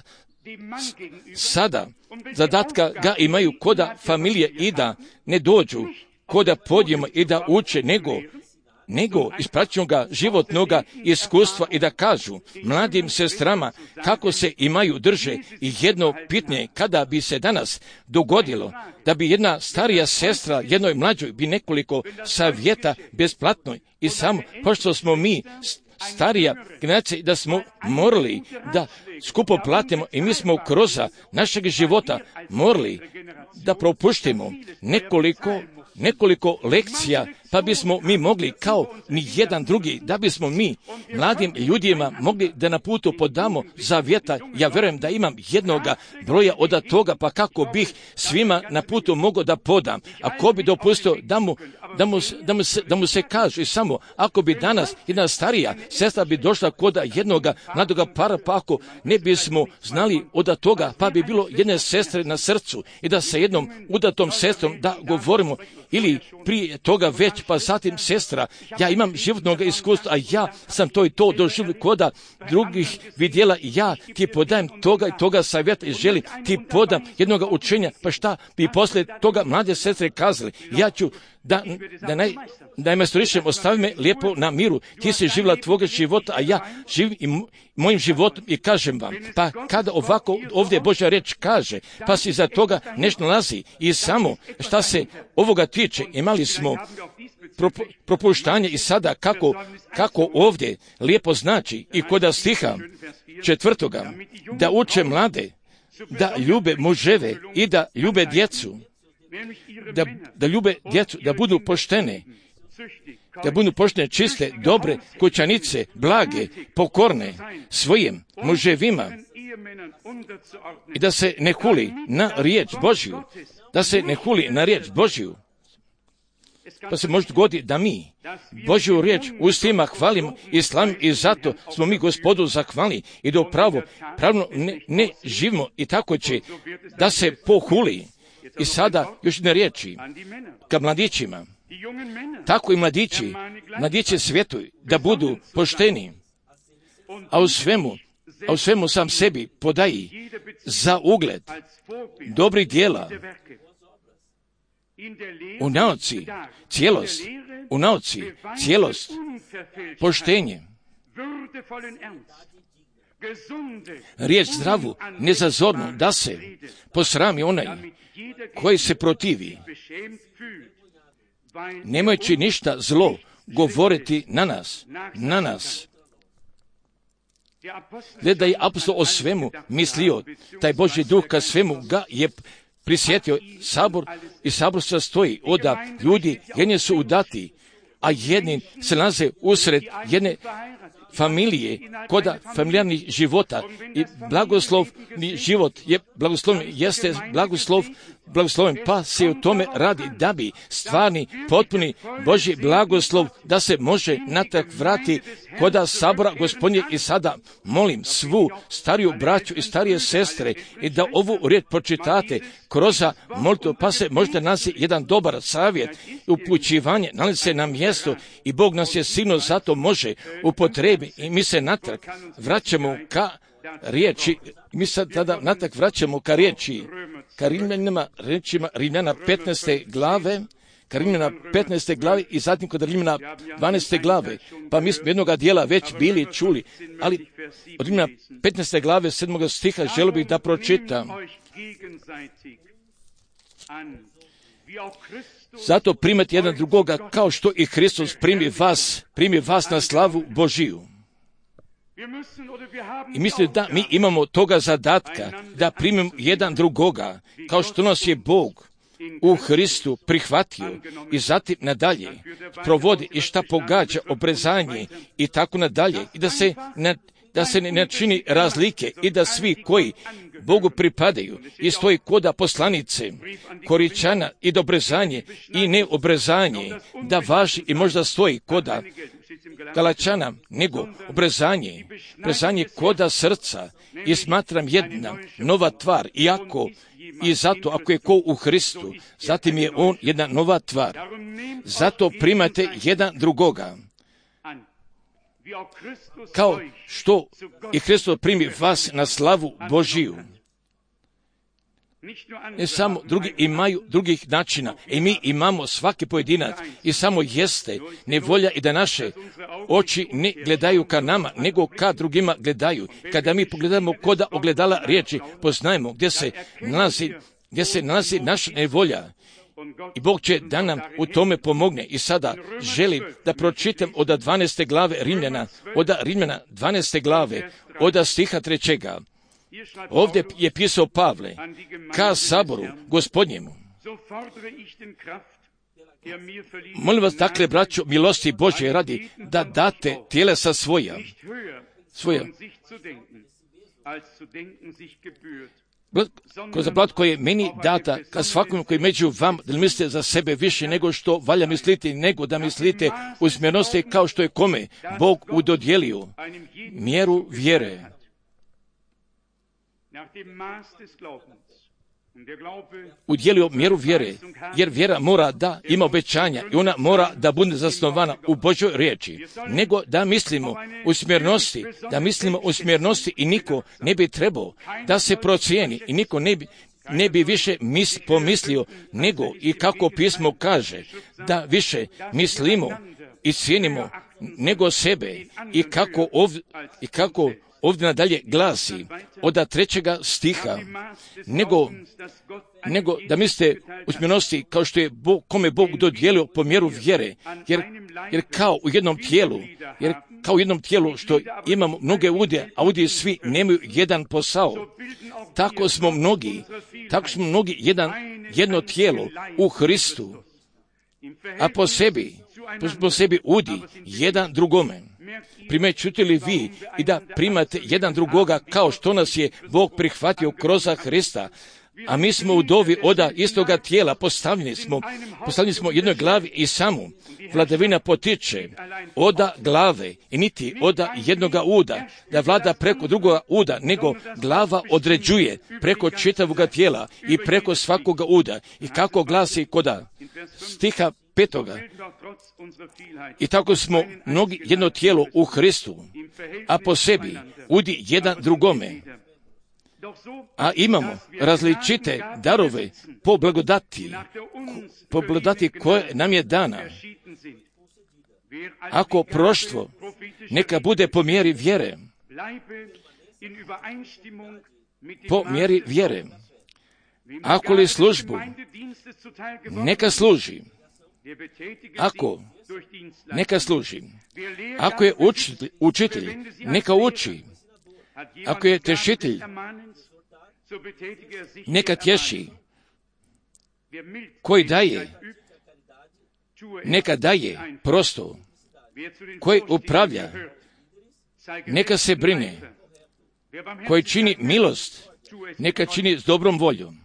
sada zadatka ga imaju koda familije i da ne dođu koda podijemo i da uče nego nego iz praktičnoga životnoga iskustva i da kažu mladim sestrama kako se imaju drže. I jedno pitanje, kada bi se danas dogodilo da bi jedna starija sestra jednoj mlađoj bi nekoliko savjeta besplatno i samo, pošto smo mi starija generacija da smo morali da skupo platimo i mi smo kroz našeg života morali da propuštimo nekoliko nekoliko lekcija, pa bismo mi mogli kao ni jedan drugi, da bismo mi mladim ljudima mogli da na putu podamo zavjeta. Ja vjerujem da imam jednoga broja od toga, pa kako bih svima na putu mogao da podam. Ako bi dopustio da mu, da mu, da mu, se, da mu se kaže i samo, ako bi danas jedna starija sestra bi došla kod jednoga mladoga para, pa ako ne bismo znali od toga, pa bi bilo jedne sestre na srcu i da sa jednom udatom sestrom da govorimo, ili prije toga već, pa zatim sestra, ja imam životnog iskustva, a ja sam to i to doživio koda drugih vidjela i ja ti podajem toga i toga savjeta i želim ti podam jednoga učenja, pa šta bi poslije toga mlade sestre kazali, ja ću da, da naj, najmestorišem ostavi me lijepo na miru, ti si živjela tvoga života, a ja živim i mojim životom i kažem vam, pa kada ovako ovdje Božja reč kaže, pa si za toga nešto nalazi i samo šta se ovoga tiče, imali smo propuštanje i sada kako, kako ovdje lijepo znači i koda stiha četvrtoga, da uče mlade, da ljube muževe i da ljube djecu, da, da ljube djecu, da budu poštene da budu poštene, čiste, dobre, kućanice, blage, pokorne svojim muževima i da se ne huli na riječ Božju, da se ne huli na riječ Božju. Pa se može dogoditi da mi Božju riječ ustima hvalimo i slavimo i zato smo mi Gospodu zahvalni i da upravo pravno ne, ne živimo i tako će da se pohuli. I sada još ne riječi ka mladićima, tako i mladići, mladići svijetu da budu pošteni, a u svemu, a u svemu sam sebi podaji za ugled dobrih djela, u nauci cijelost, u nauci cijelost, poštenje, riječ zdravu, nezazornu, da se posrami onaj koji se protivi, nemajući ništa zlo govoriti na nas, na nas. Gleda je apostol o svemu mislio, taj Božji duh ka svemu ga je prisjetio. Sabor i sabor se stoji oda ljudi, jedni su udati, a jedni se nalaze usred jedne familije, koda familijarnih života i blagoslovni život je blagosloven, jeste blagoslov, blagosloven, pa se u tome radi da bi stvarni, potpuni Božji blagoslov da se može natrag vrati koda sabora Gospodnje. I sada molim svu stariju braću i starije sestre i da ovu riječ pročitate kroz molitvu, pa se možda naći jedan dobar savjet, upućivanje, nalazi se na mjesto i Bog nas je sigurno zato može upotrebi i mi se natrag vraćamo ka riječi, mi se tada natrag vraćamo ka riječi, ka Rimljanima, rečima Rimljana petnaeste glave, ka Rimljana petnaeste glave i zatim kod Rimljana dvanaeste glave, pa mi smo jednoga dijela već bili čuli, ali od Rimljana petnaeste glave sedmog stiha želio bih da pročitam. Zato primati jedan drugoga kao što i Hristos primi vas, primi vas na slavu Božiju. I mislim da mi imamo toga zadatka da primimo jedan drugoga kao što nas je Bog u Hristu prihvatio i zatim nadalje provodi i šta pogađa obrezanje i tako nadalje i da se ne, da se ne čini razlike i da svi koji Bogu pripadaju i stoji koda poslanice, Koričana i dobrezanje i neobrezanje, da važi i možda stoji koda Galačana, nego obrezanje, obrezanje koda srca i smatram jedna nova tvar, iako i zato ako je ko u Hristu, zatim je on jedna nova tvar. Zato primate jedan drugoga. Kao što i Hristos primi vas na slavu Božiju. Ne samo drugi imaju drugih načina i mi imamo svaki pojedinac i samo jeste nevolja i da naše oči ne gledaju ka nama, nego ka drugima gledaju. Kada mi pogledamo koda ogledala riječi, poznajemo gdje se nalazi, gdje se nalazi naša nevolja. I Bog će da nam u tome pomogne. I sada želim da pročitam od dvanaeste glave Rimljana, od Rimljana dvanaeste glave, od stiha trećega. Ovdje je pisao Pavle ka saboru Gospodnjemu. Molim vas, dakle, braćo, milosti Božje radi da date tjelesa svoja, svoja, kroz blat koji je meni data, ka svakom koji među vam, da mislite za sebe više nego što valja misliti, nego da mislite u smjernosti kao što je kome Bog udodjelio mjeru vjere. Udjelio mjeru vjere, jer vjera mora da ima obećanja i ona mora da bude zasnovana u Božoj riječi, nego da mislimo u smjernosti, da mislimo u smjernosti i niko ne bi trebao da se procijeni i niko ne bi, ne bi više mis, pomislio, nego i kako pismo kaže, da više mislimo i cijenimo nego sebe i kako ovdje, i kako ovdje nadalje glasi od trećega stiha, nego, nego da mislite u smjernosti kao što je Bog, kome Bog dodijelio po mjeru vjere, jer, jer kao u jednom tijelu, jer kao u jednom tijelu što imamo mnoge udje, a udje svi nemaju jedan posao, tako smo mnogi, tako smo mnogi jedan, jedno tijelo u Hristu, a po sebi po sebi udi jedan drugome. Primećujete li vi i da primate jedan drugoga kao što nas je Bog prihvatio kroz Hrista, a mi smo u dovi oda istoga tijela, postavljeni smo, postavljeni smo jednoj glavi i samu. Vladavina potiče oda glave i niti oda jednoga uda, da vlada preko drugoga uda, nego glava određuje preko čitavoga tijela i preko svakoga uda. I kako glasi koda stiha petoga. I tako smo mnogi jedno tijelo u Hristu, a po sebi udi jedan drugome. A imamo različite darove po blagodati, po blagodati koje nam je dana. Ako proštvo, neka bude po mjeri vjere. Po mjeri vjere. Ako li službu, neka služi. Ako, neka služi. Ako je učitelj, učitelj neka uči. Ako je tešitelj, neka tješi. Koji daje, neka daje prosto. Koji upravlja, neka se brine. Koji čini milost, neka čini s dobrom voljom.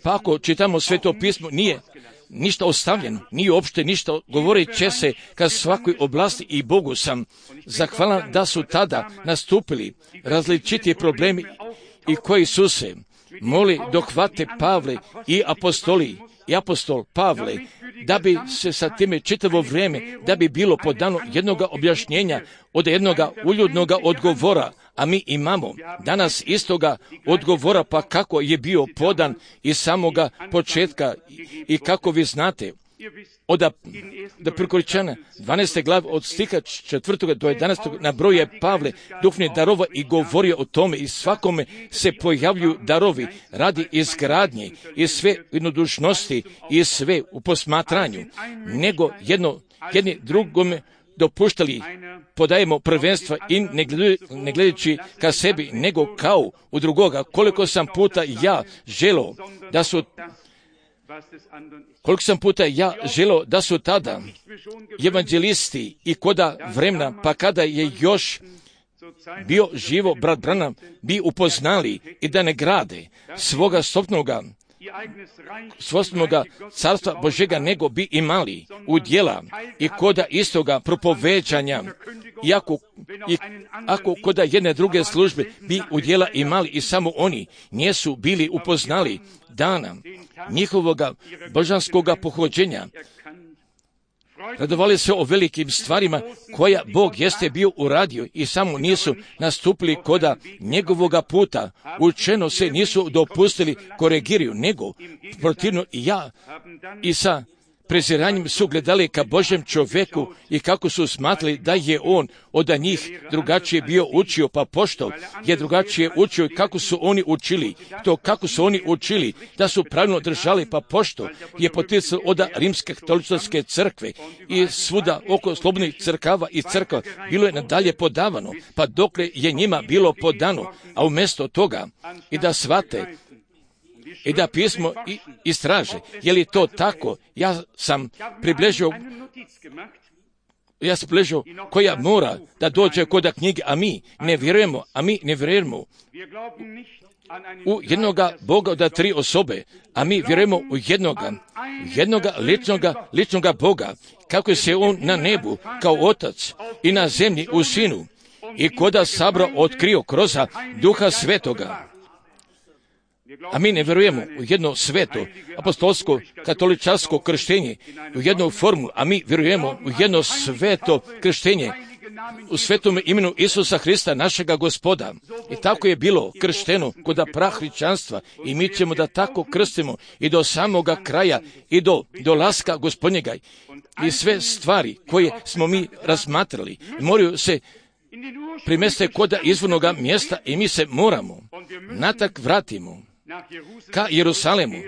Pa ako čitamo Sveto pismo, nije ništa ostavljeno, nije uopšte ništa, govorit će se ka svakoj oblasti i Bogu sam zahvalan da su tada nastupili različiti problemi i koji su se moli dohvate Pavle i apostoli i apostol Pavle, da bi se sa time čitavo vrijeme, da bi bilo podano jednoga objašnjenja od jednoga uljudnoga odgovora, a mi imamo danas istoga odgovora, pa kako je bio podan iz samoga početka i kako vi znate, od da Prikoričana dvanaeste glave od stiha četvrtog do jedanaestog nabrojuje Pavle duhovnih darova i govori o tome i svakome se pojavljuju darovi radi izgradnje i sve jednodušnosti i sve u posmatranju, nego jedno, jedni drugome dopuštali podajemo prvenstva i ne, gledaju, ne gledajući ka sebi, nego kao u drugoga. Koliko sam puta ja želeo da su Koliko sam puta ja želeo da su tada evanđelisti i koda vremena, pa kada je još bio živo brat Branham, bi upoznali i da ne grade svoga stopnoga, svojstvoga carstva Božega, nego bi imali u djela i koda istoga propoveđanja, iako, i ako koda jedne druge službe bi u djela imali i samo oni nisu bili upoznali dana njihovoga božanskoga pohođenja, radovali se o velikim stvarima koja Bog jeste bio uradio i samo nisu nastupili koda njegovoga puta, učeno se nisu dopustili koregiraju, nego protivno i ja i sa preziranjem su gledali ka Božjem čovjeku i kako su smatrali da je on od njih drugačije bio učio, pa pošto je drugačije učio i kako su oni učili, to kako su oni učili, da su pravilno držali, pa pošto je poticao od Rimske katoličke crkve i svuda oko slobodnih crkava i crkva bilo je nadalje podavano, pa dokle je njima bilo podano, a umjesto toga i da shvate i da pismo istraže. Je li to tako? Ja sam približio, ja sam približio koja mora da dođe koda knjige, a mi ne vjerujemo, a mi ne vjerujemo u jednoga Boga od tri osobe, a mi vjerujemo u jednoga, jednoga ličnoga, ličnoga Boga, kako se on na nebu kao otac i na zemlji u sinu i koda sabra otkrio kroz Duha Svetoga. A mi ne vjerujemo u jedno sveto, apostolsko, katoličarsko krštenje, u jednu formulu, a mi vjerujemo u jedno sveto krštenje, u svetom imenu Isusa Hrista, našega Gospoda. I tako je bilo kršteno kod prahričanstva i mi ćemo da tako krstimo i do samoga kraja i do dolaska Gospodnjega. I sve stvari koje smo mi razmatrali moraju se primeste kod izvornoga mjesta i mi se moramo natak vratimo ka Jerusalemu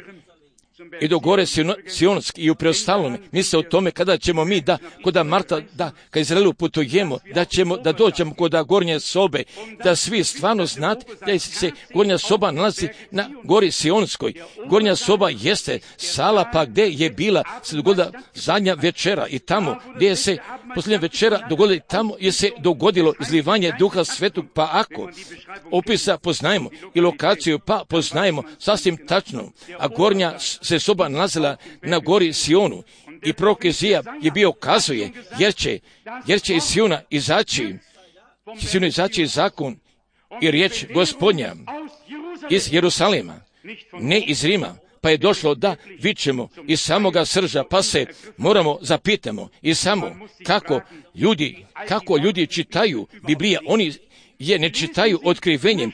i do gore Sionski i u preostalome. Misle o tome kada ćemo mi da, koda Marta, da, ka Izraelu putujemo, da ćemo, da dođemo koda gornje sobe, da svi stvarno znate da se gornja soba nalazi na gori Sionskoj. Gornja soba jeste sala pa gdje je bila se dogodila zadnja večera i tamo gdje se posljednja večera dogodila, tamo je se dogodilo izlivanje Duha Svetog, pa ako opisa poznajemo i lokaciju pa poznajemo sasvim tačno, a gornja se soba nalazila na gori Sionu i prorok Izija je bio kazuje, jer će, jer će iz Siona izaći, će Siona izaći zakon i riječ Gospodnja iz Jerusalema, ne iz Rima. Pa je došlo da vičemo iz samoga srža, pa se moramo zapitamo i samo kako ljudi, kako ljudi čitaju Biblija, oni je ne čitaju otkrivenjem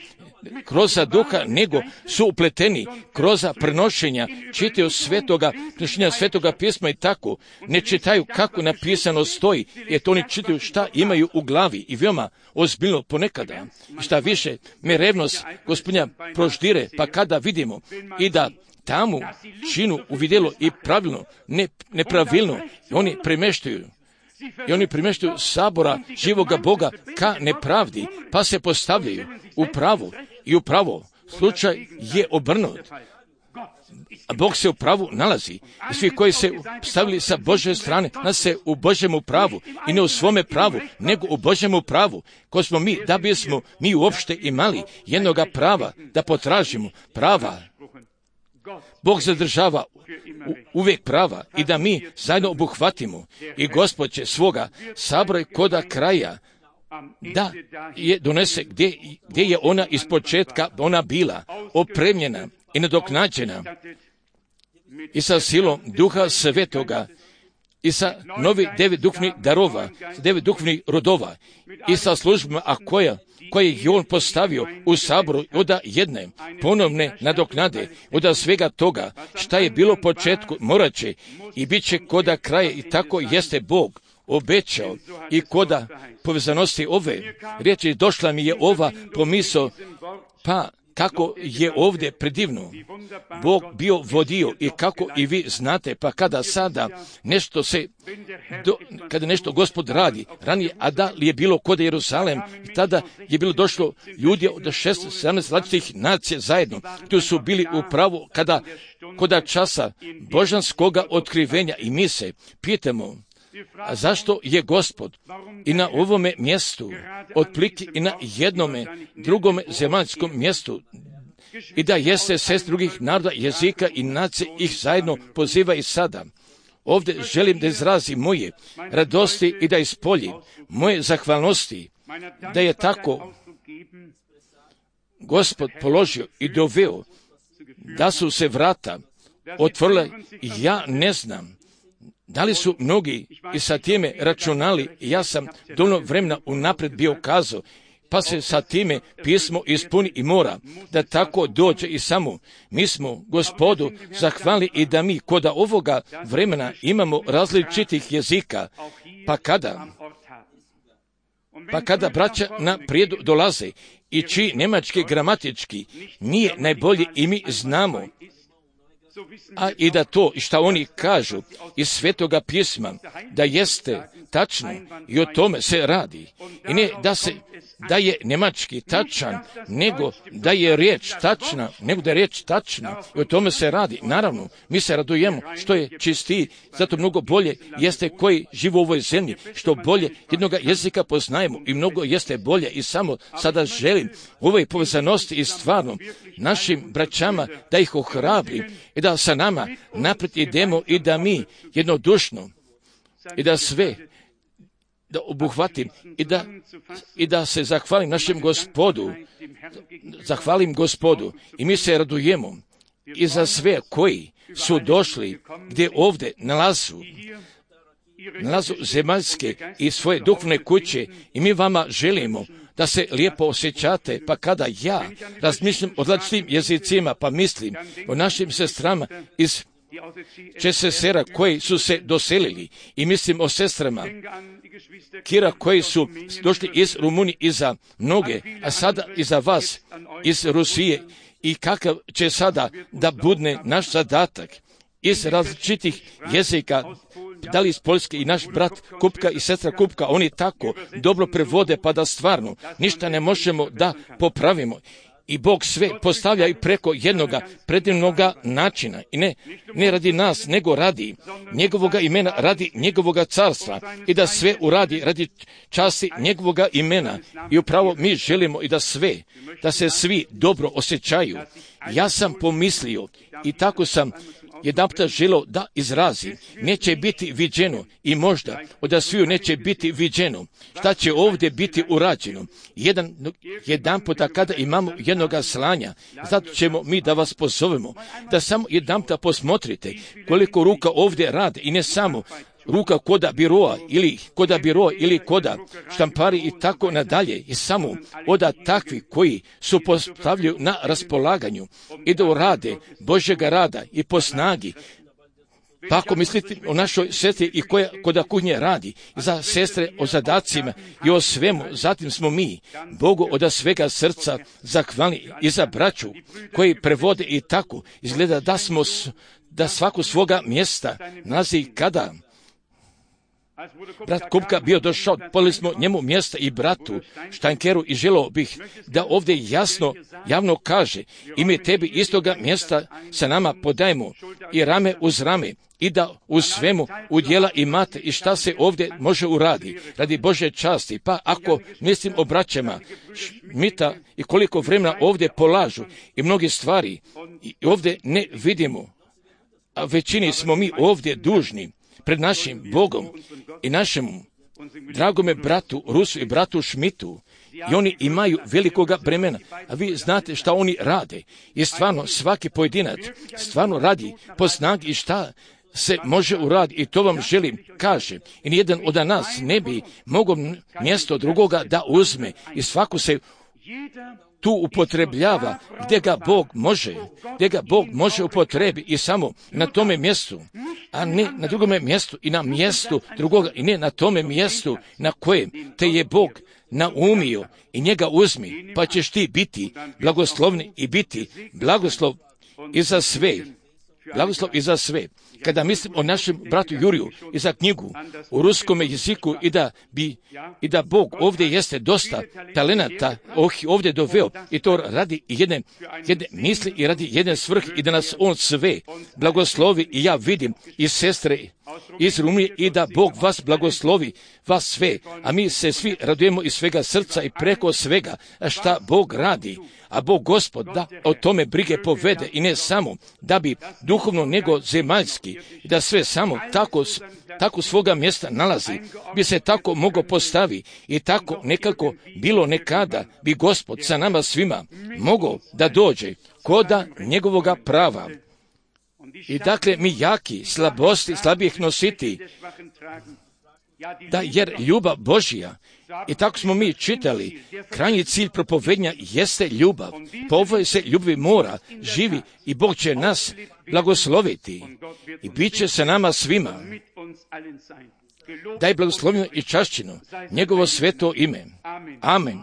kroz duha, nego su upleteni kroz prenošenja, čitaju svetoga, prenošenja svetoga pisma i tako, ne čitaju kako napisano stoji, jer to oni čitaju šta imaju u glavi i veoma ozbiljno ponekada. I šta više, me revnost Gospodnja proždire, pa kada vidimo i da tamo činu uvidjelo i pravilno, ne, nepravilno, i oni premeštaju. I oni premeštaju sabora živoga Boga ka nepravdi, pa se postavljaju u pravu i u pravo. Slučaj je obrnut. A Bog se u pravu nalazi. I svi koji se stavili sa Božje strane, nas se u Božjemu pravu i ne u svome pravu, nego u Božjemu pravu, ko smo mi, da bismo mi uopšte imali jednoga prava, da potražimo prava. Bog zadržava uvijek prava i da mi zajedno obuhvatimo i Gospod će svoga sabora koda kraja da je donese gdje, gdje je ona iz početka ona bila opremljena i nadoknađena i sa silom Duha Svetoga i sa novi devet duhovnih darova, devet duhovnih rodova i sa službama, a koja koje je on postavio u saboru od jedne ponovne nadoknade, od svega toga šta je bilo u početku morat će i bit će koda kraje i tako jeste Bog obećao i koda povezanosti ove riječi došla mi je ova pomisao, pa kako je ovdje predivno Bog bio vodio i kako i vi znate, pa kada sada nešto se, do, kada nešto Gospod radi, ranije, a da li je bilo kod Jerusalem, tada je bilo došlo ljudi od šest sedamnaest različitih nacija zajedno, tu su bili upravo kada, koda časa božanskoga otkrivenja i mi se pitamo, a zašto je Gospod i na ovome mjestu, otplike i na jednome drugome zemaljskom mjestu, i da jeste sest drugih naroda, jezika i nacije ih zajedno poziva i sada. Ovdje želim da izrazim moje radosti i da ispoljim moje zahvalnosti, da je tako Gospod položio i doveo, da su se vrata otvorila. Ja ne znam da li su mnogi i sa time računali, ja sam dovoljno vremena unaprijed bio kazao, pa se sa time pismo ispuni i mora da tako dođe i samo. Mi smo Gospodu zahvali i da mi koda ovoga vremena imamo različitih jezika, pa kada, pa kada braća na prijedu dolaze i čiji nemački gramatički nije najbolji i mi znamo, a i da to šta oni kažu iz Svetoga pisma, da jeste tačno i o tome se radi. I ne da se da je nemački tačan, nego da je riječ tačna, nego da je riječ tačna i o tome se radi. Naravno, mi se radujemo što je čistiji, zato mnogo bolje jeste koji žive u ovoj zemlji, što bolje jednoga jezika poznajemo i mnogo jeste bolje i samo sada želim u ovoj povezanosti i stvarno našim braćama da ih ohrabrim i da sa nama naprijed idemo i da mi jednodušno i da sve da obuhvatim i da, i da se zahvalim našem Gospodu, zahvalim Gospodu i mi se radujemo i za sve koji su došli gdje ovdje nalazu, nalazu zemaljske i svoje duhovne kuće i mi vama želimo da se lijepo osjećate, pa kada ja razmišljam o različitim jezicima, pa mislim o našim sestrama iz Česesera koji su se doselili i mislim o sestrama Kira koji su došli iz Rumunije i za mnoge, a sada i za vas iz Rusije i kakav će sada da budne naš zadatak iz različitih jezika, da li iz Poljske i naš brat Kupka i sestra Kupka, oni tako dobro prevode pa da stvarno ništa ne možemo da popravimo. I Bog sve postavlja i preko jednoga predivnoga načina. I ne, ne radi nas, nego radi njegovoga imena, radi njegovoga carstva. I da sve uradi radi časti njegovoga imena. I upravo mi želimo i da sve, da se svi dobro osjećaju. Ja sam pomislio i tako sam jedanputa želio da izrazi. Neće biti viđeno i možda od sviju neće biti viđeno. Šta će ovdje biti urađeno? Jedan, jedan puta kada imamo jednoga slanja, zato ćemo mi da vas pozovemo, da samo jedan puta posmotrite koliko ruka ovdje rade i ne samo ruka koda biroa ili koda biroa ili koda štampari i tako nadalje i samo oda takvi koji su postavljaju na raspolaganju i da urade Božjega rada i po snagi. Pa ako mislite o našoj sestri i koja koda kuhnje radi, za sestre o zadacima i o svemu, zatim smo mi Bogu od svega srca zahvalni i za braću koji prevode i tako izgleda da smo da svaku svoga mjesta nalazi kada brat Kupka bio došao, podali smo njemu mjesta i bratu Štankeru i želio bih da ovdje jasno, javno kaže i mi tebi istoga mjesta sa nama podajemo i rame uz rame i da u svemu udjela imate i šta se ovdje može uradi radi Božje časti. Pa ako mislim o braćama Šmita i koliko vremena ovdje polažu i mnogi stvari i ovdje ne vidimo, a većini smo mi ovdje dužni pred našim Bogom i našemu dragome bratu Rusu i bratu Šmitu. I oni imaju velikoga bremena, a vi znate šta oni rade. I stvarno svaki pojedinac stvarno radi po snagi i šta se može uraditi. I to vam želim kaže. I nijedan od nas ne bi mogao mjesto drugoga da uzme. I svako se tu upotrebljava gdje ga Bog može, gdje ga Bog može upotrebi i samo na tome mjestu, a ne na drugome mjestu i na mjestu drugoga i ne na tome mjestu na kojem te je Bog naumio i njega uzmi, pa ćeš ti biti blagoslovni i biti blagoslov i za sve. Blagoslov i za sve. Kada mislim o našem bratu Juriju i za knjigu u ruskom jeziku i da bi i da Bog ovdje jeste dosta talenata oh, ovdje doveo i to radi jedne, jedne misli i radi jedne svrhe i da nas on sve blagoslovi i ja vidim i sestre iz Rumunije i da Bog vas blagoslovi, vas sve, a mi se svi radujemo iz svega srca i preko svega šta Bog radi. A Bog Gospod da o tome brige povede i ne samo da bi duhovno nego zemaljski, da sve samo tako, tako svoga mjesta nalazi, bi se tako moglo postavi i tako nekako bilo nekada bi Gospod sa nama svima mogao da dođe koda njegovoga prava. I dakle mi jaki, slabosti, slabijih nositi, da jer ljubav Božja, i tako smo mi čitali, krajnji cilj propovednja jeste ljubav. Po ovoj se ljubavi mora živi i Bog će nas blagosloviti i bit će sa nama svima. Daj blagoslovljeno i čašćeno njegovo sveto ime. Amen.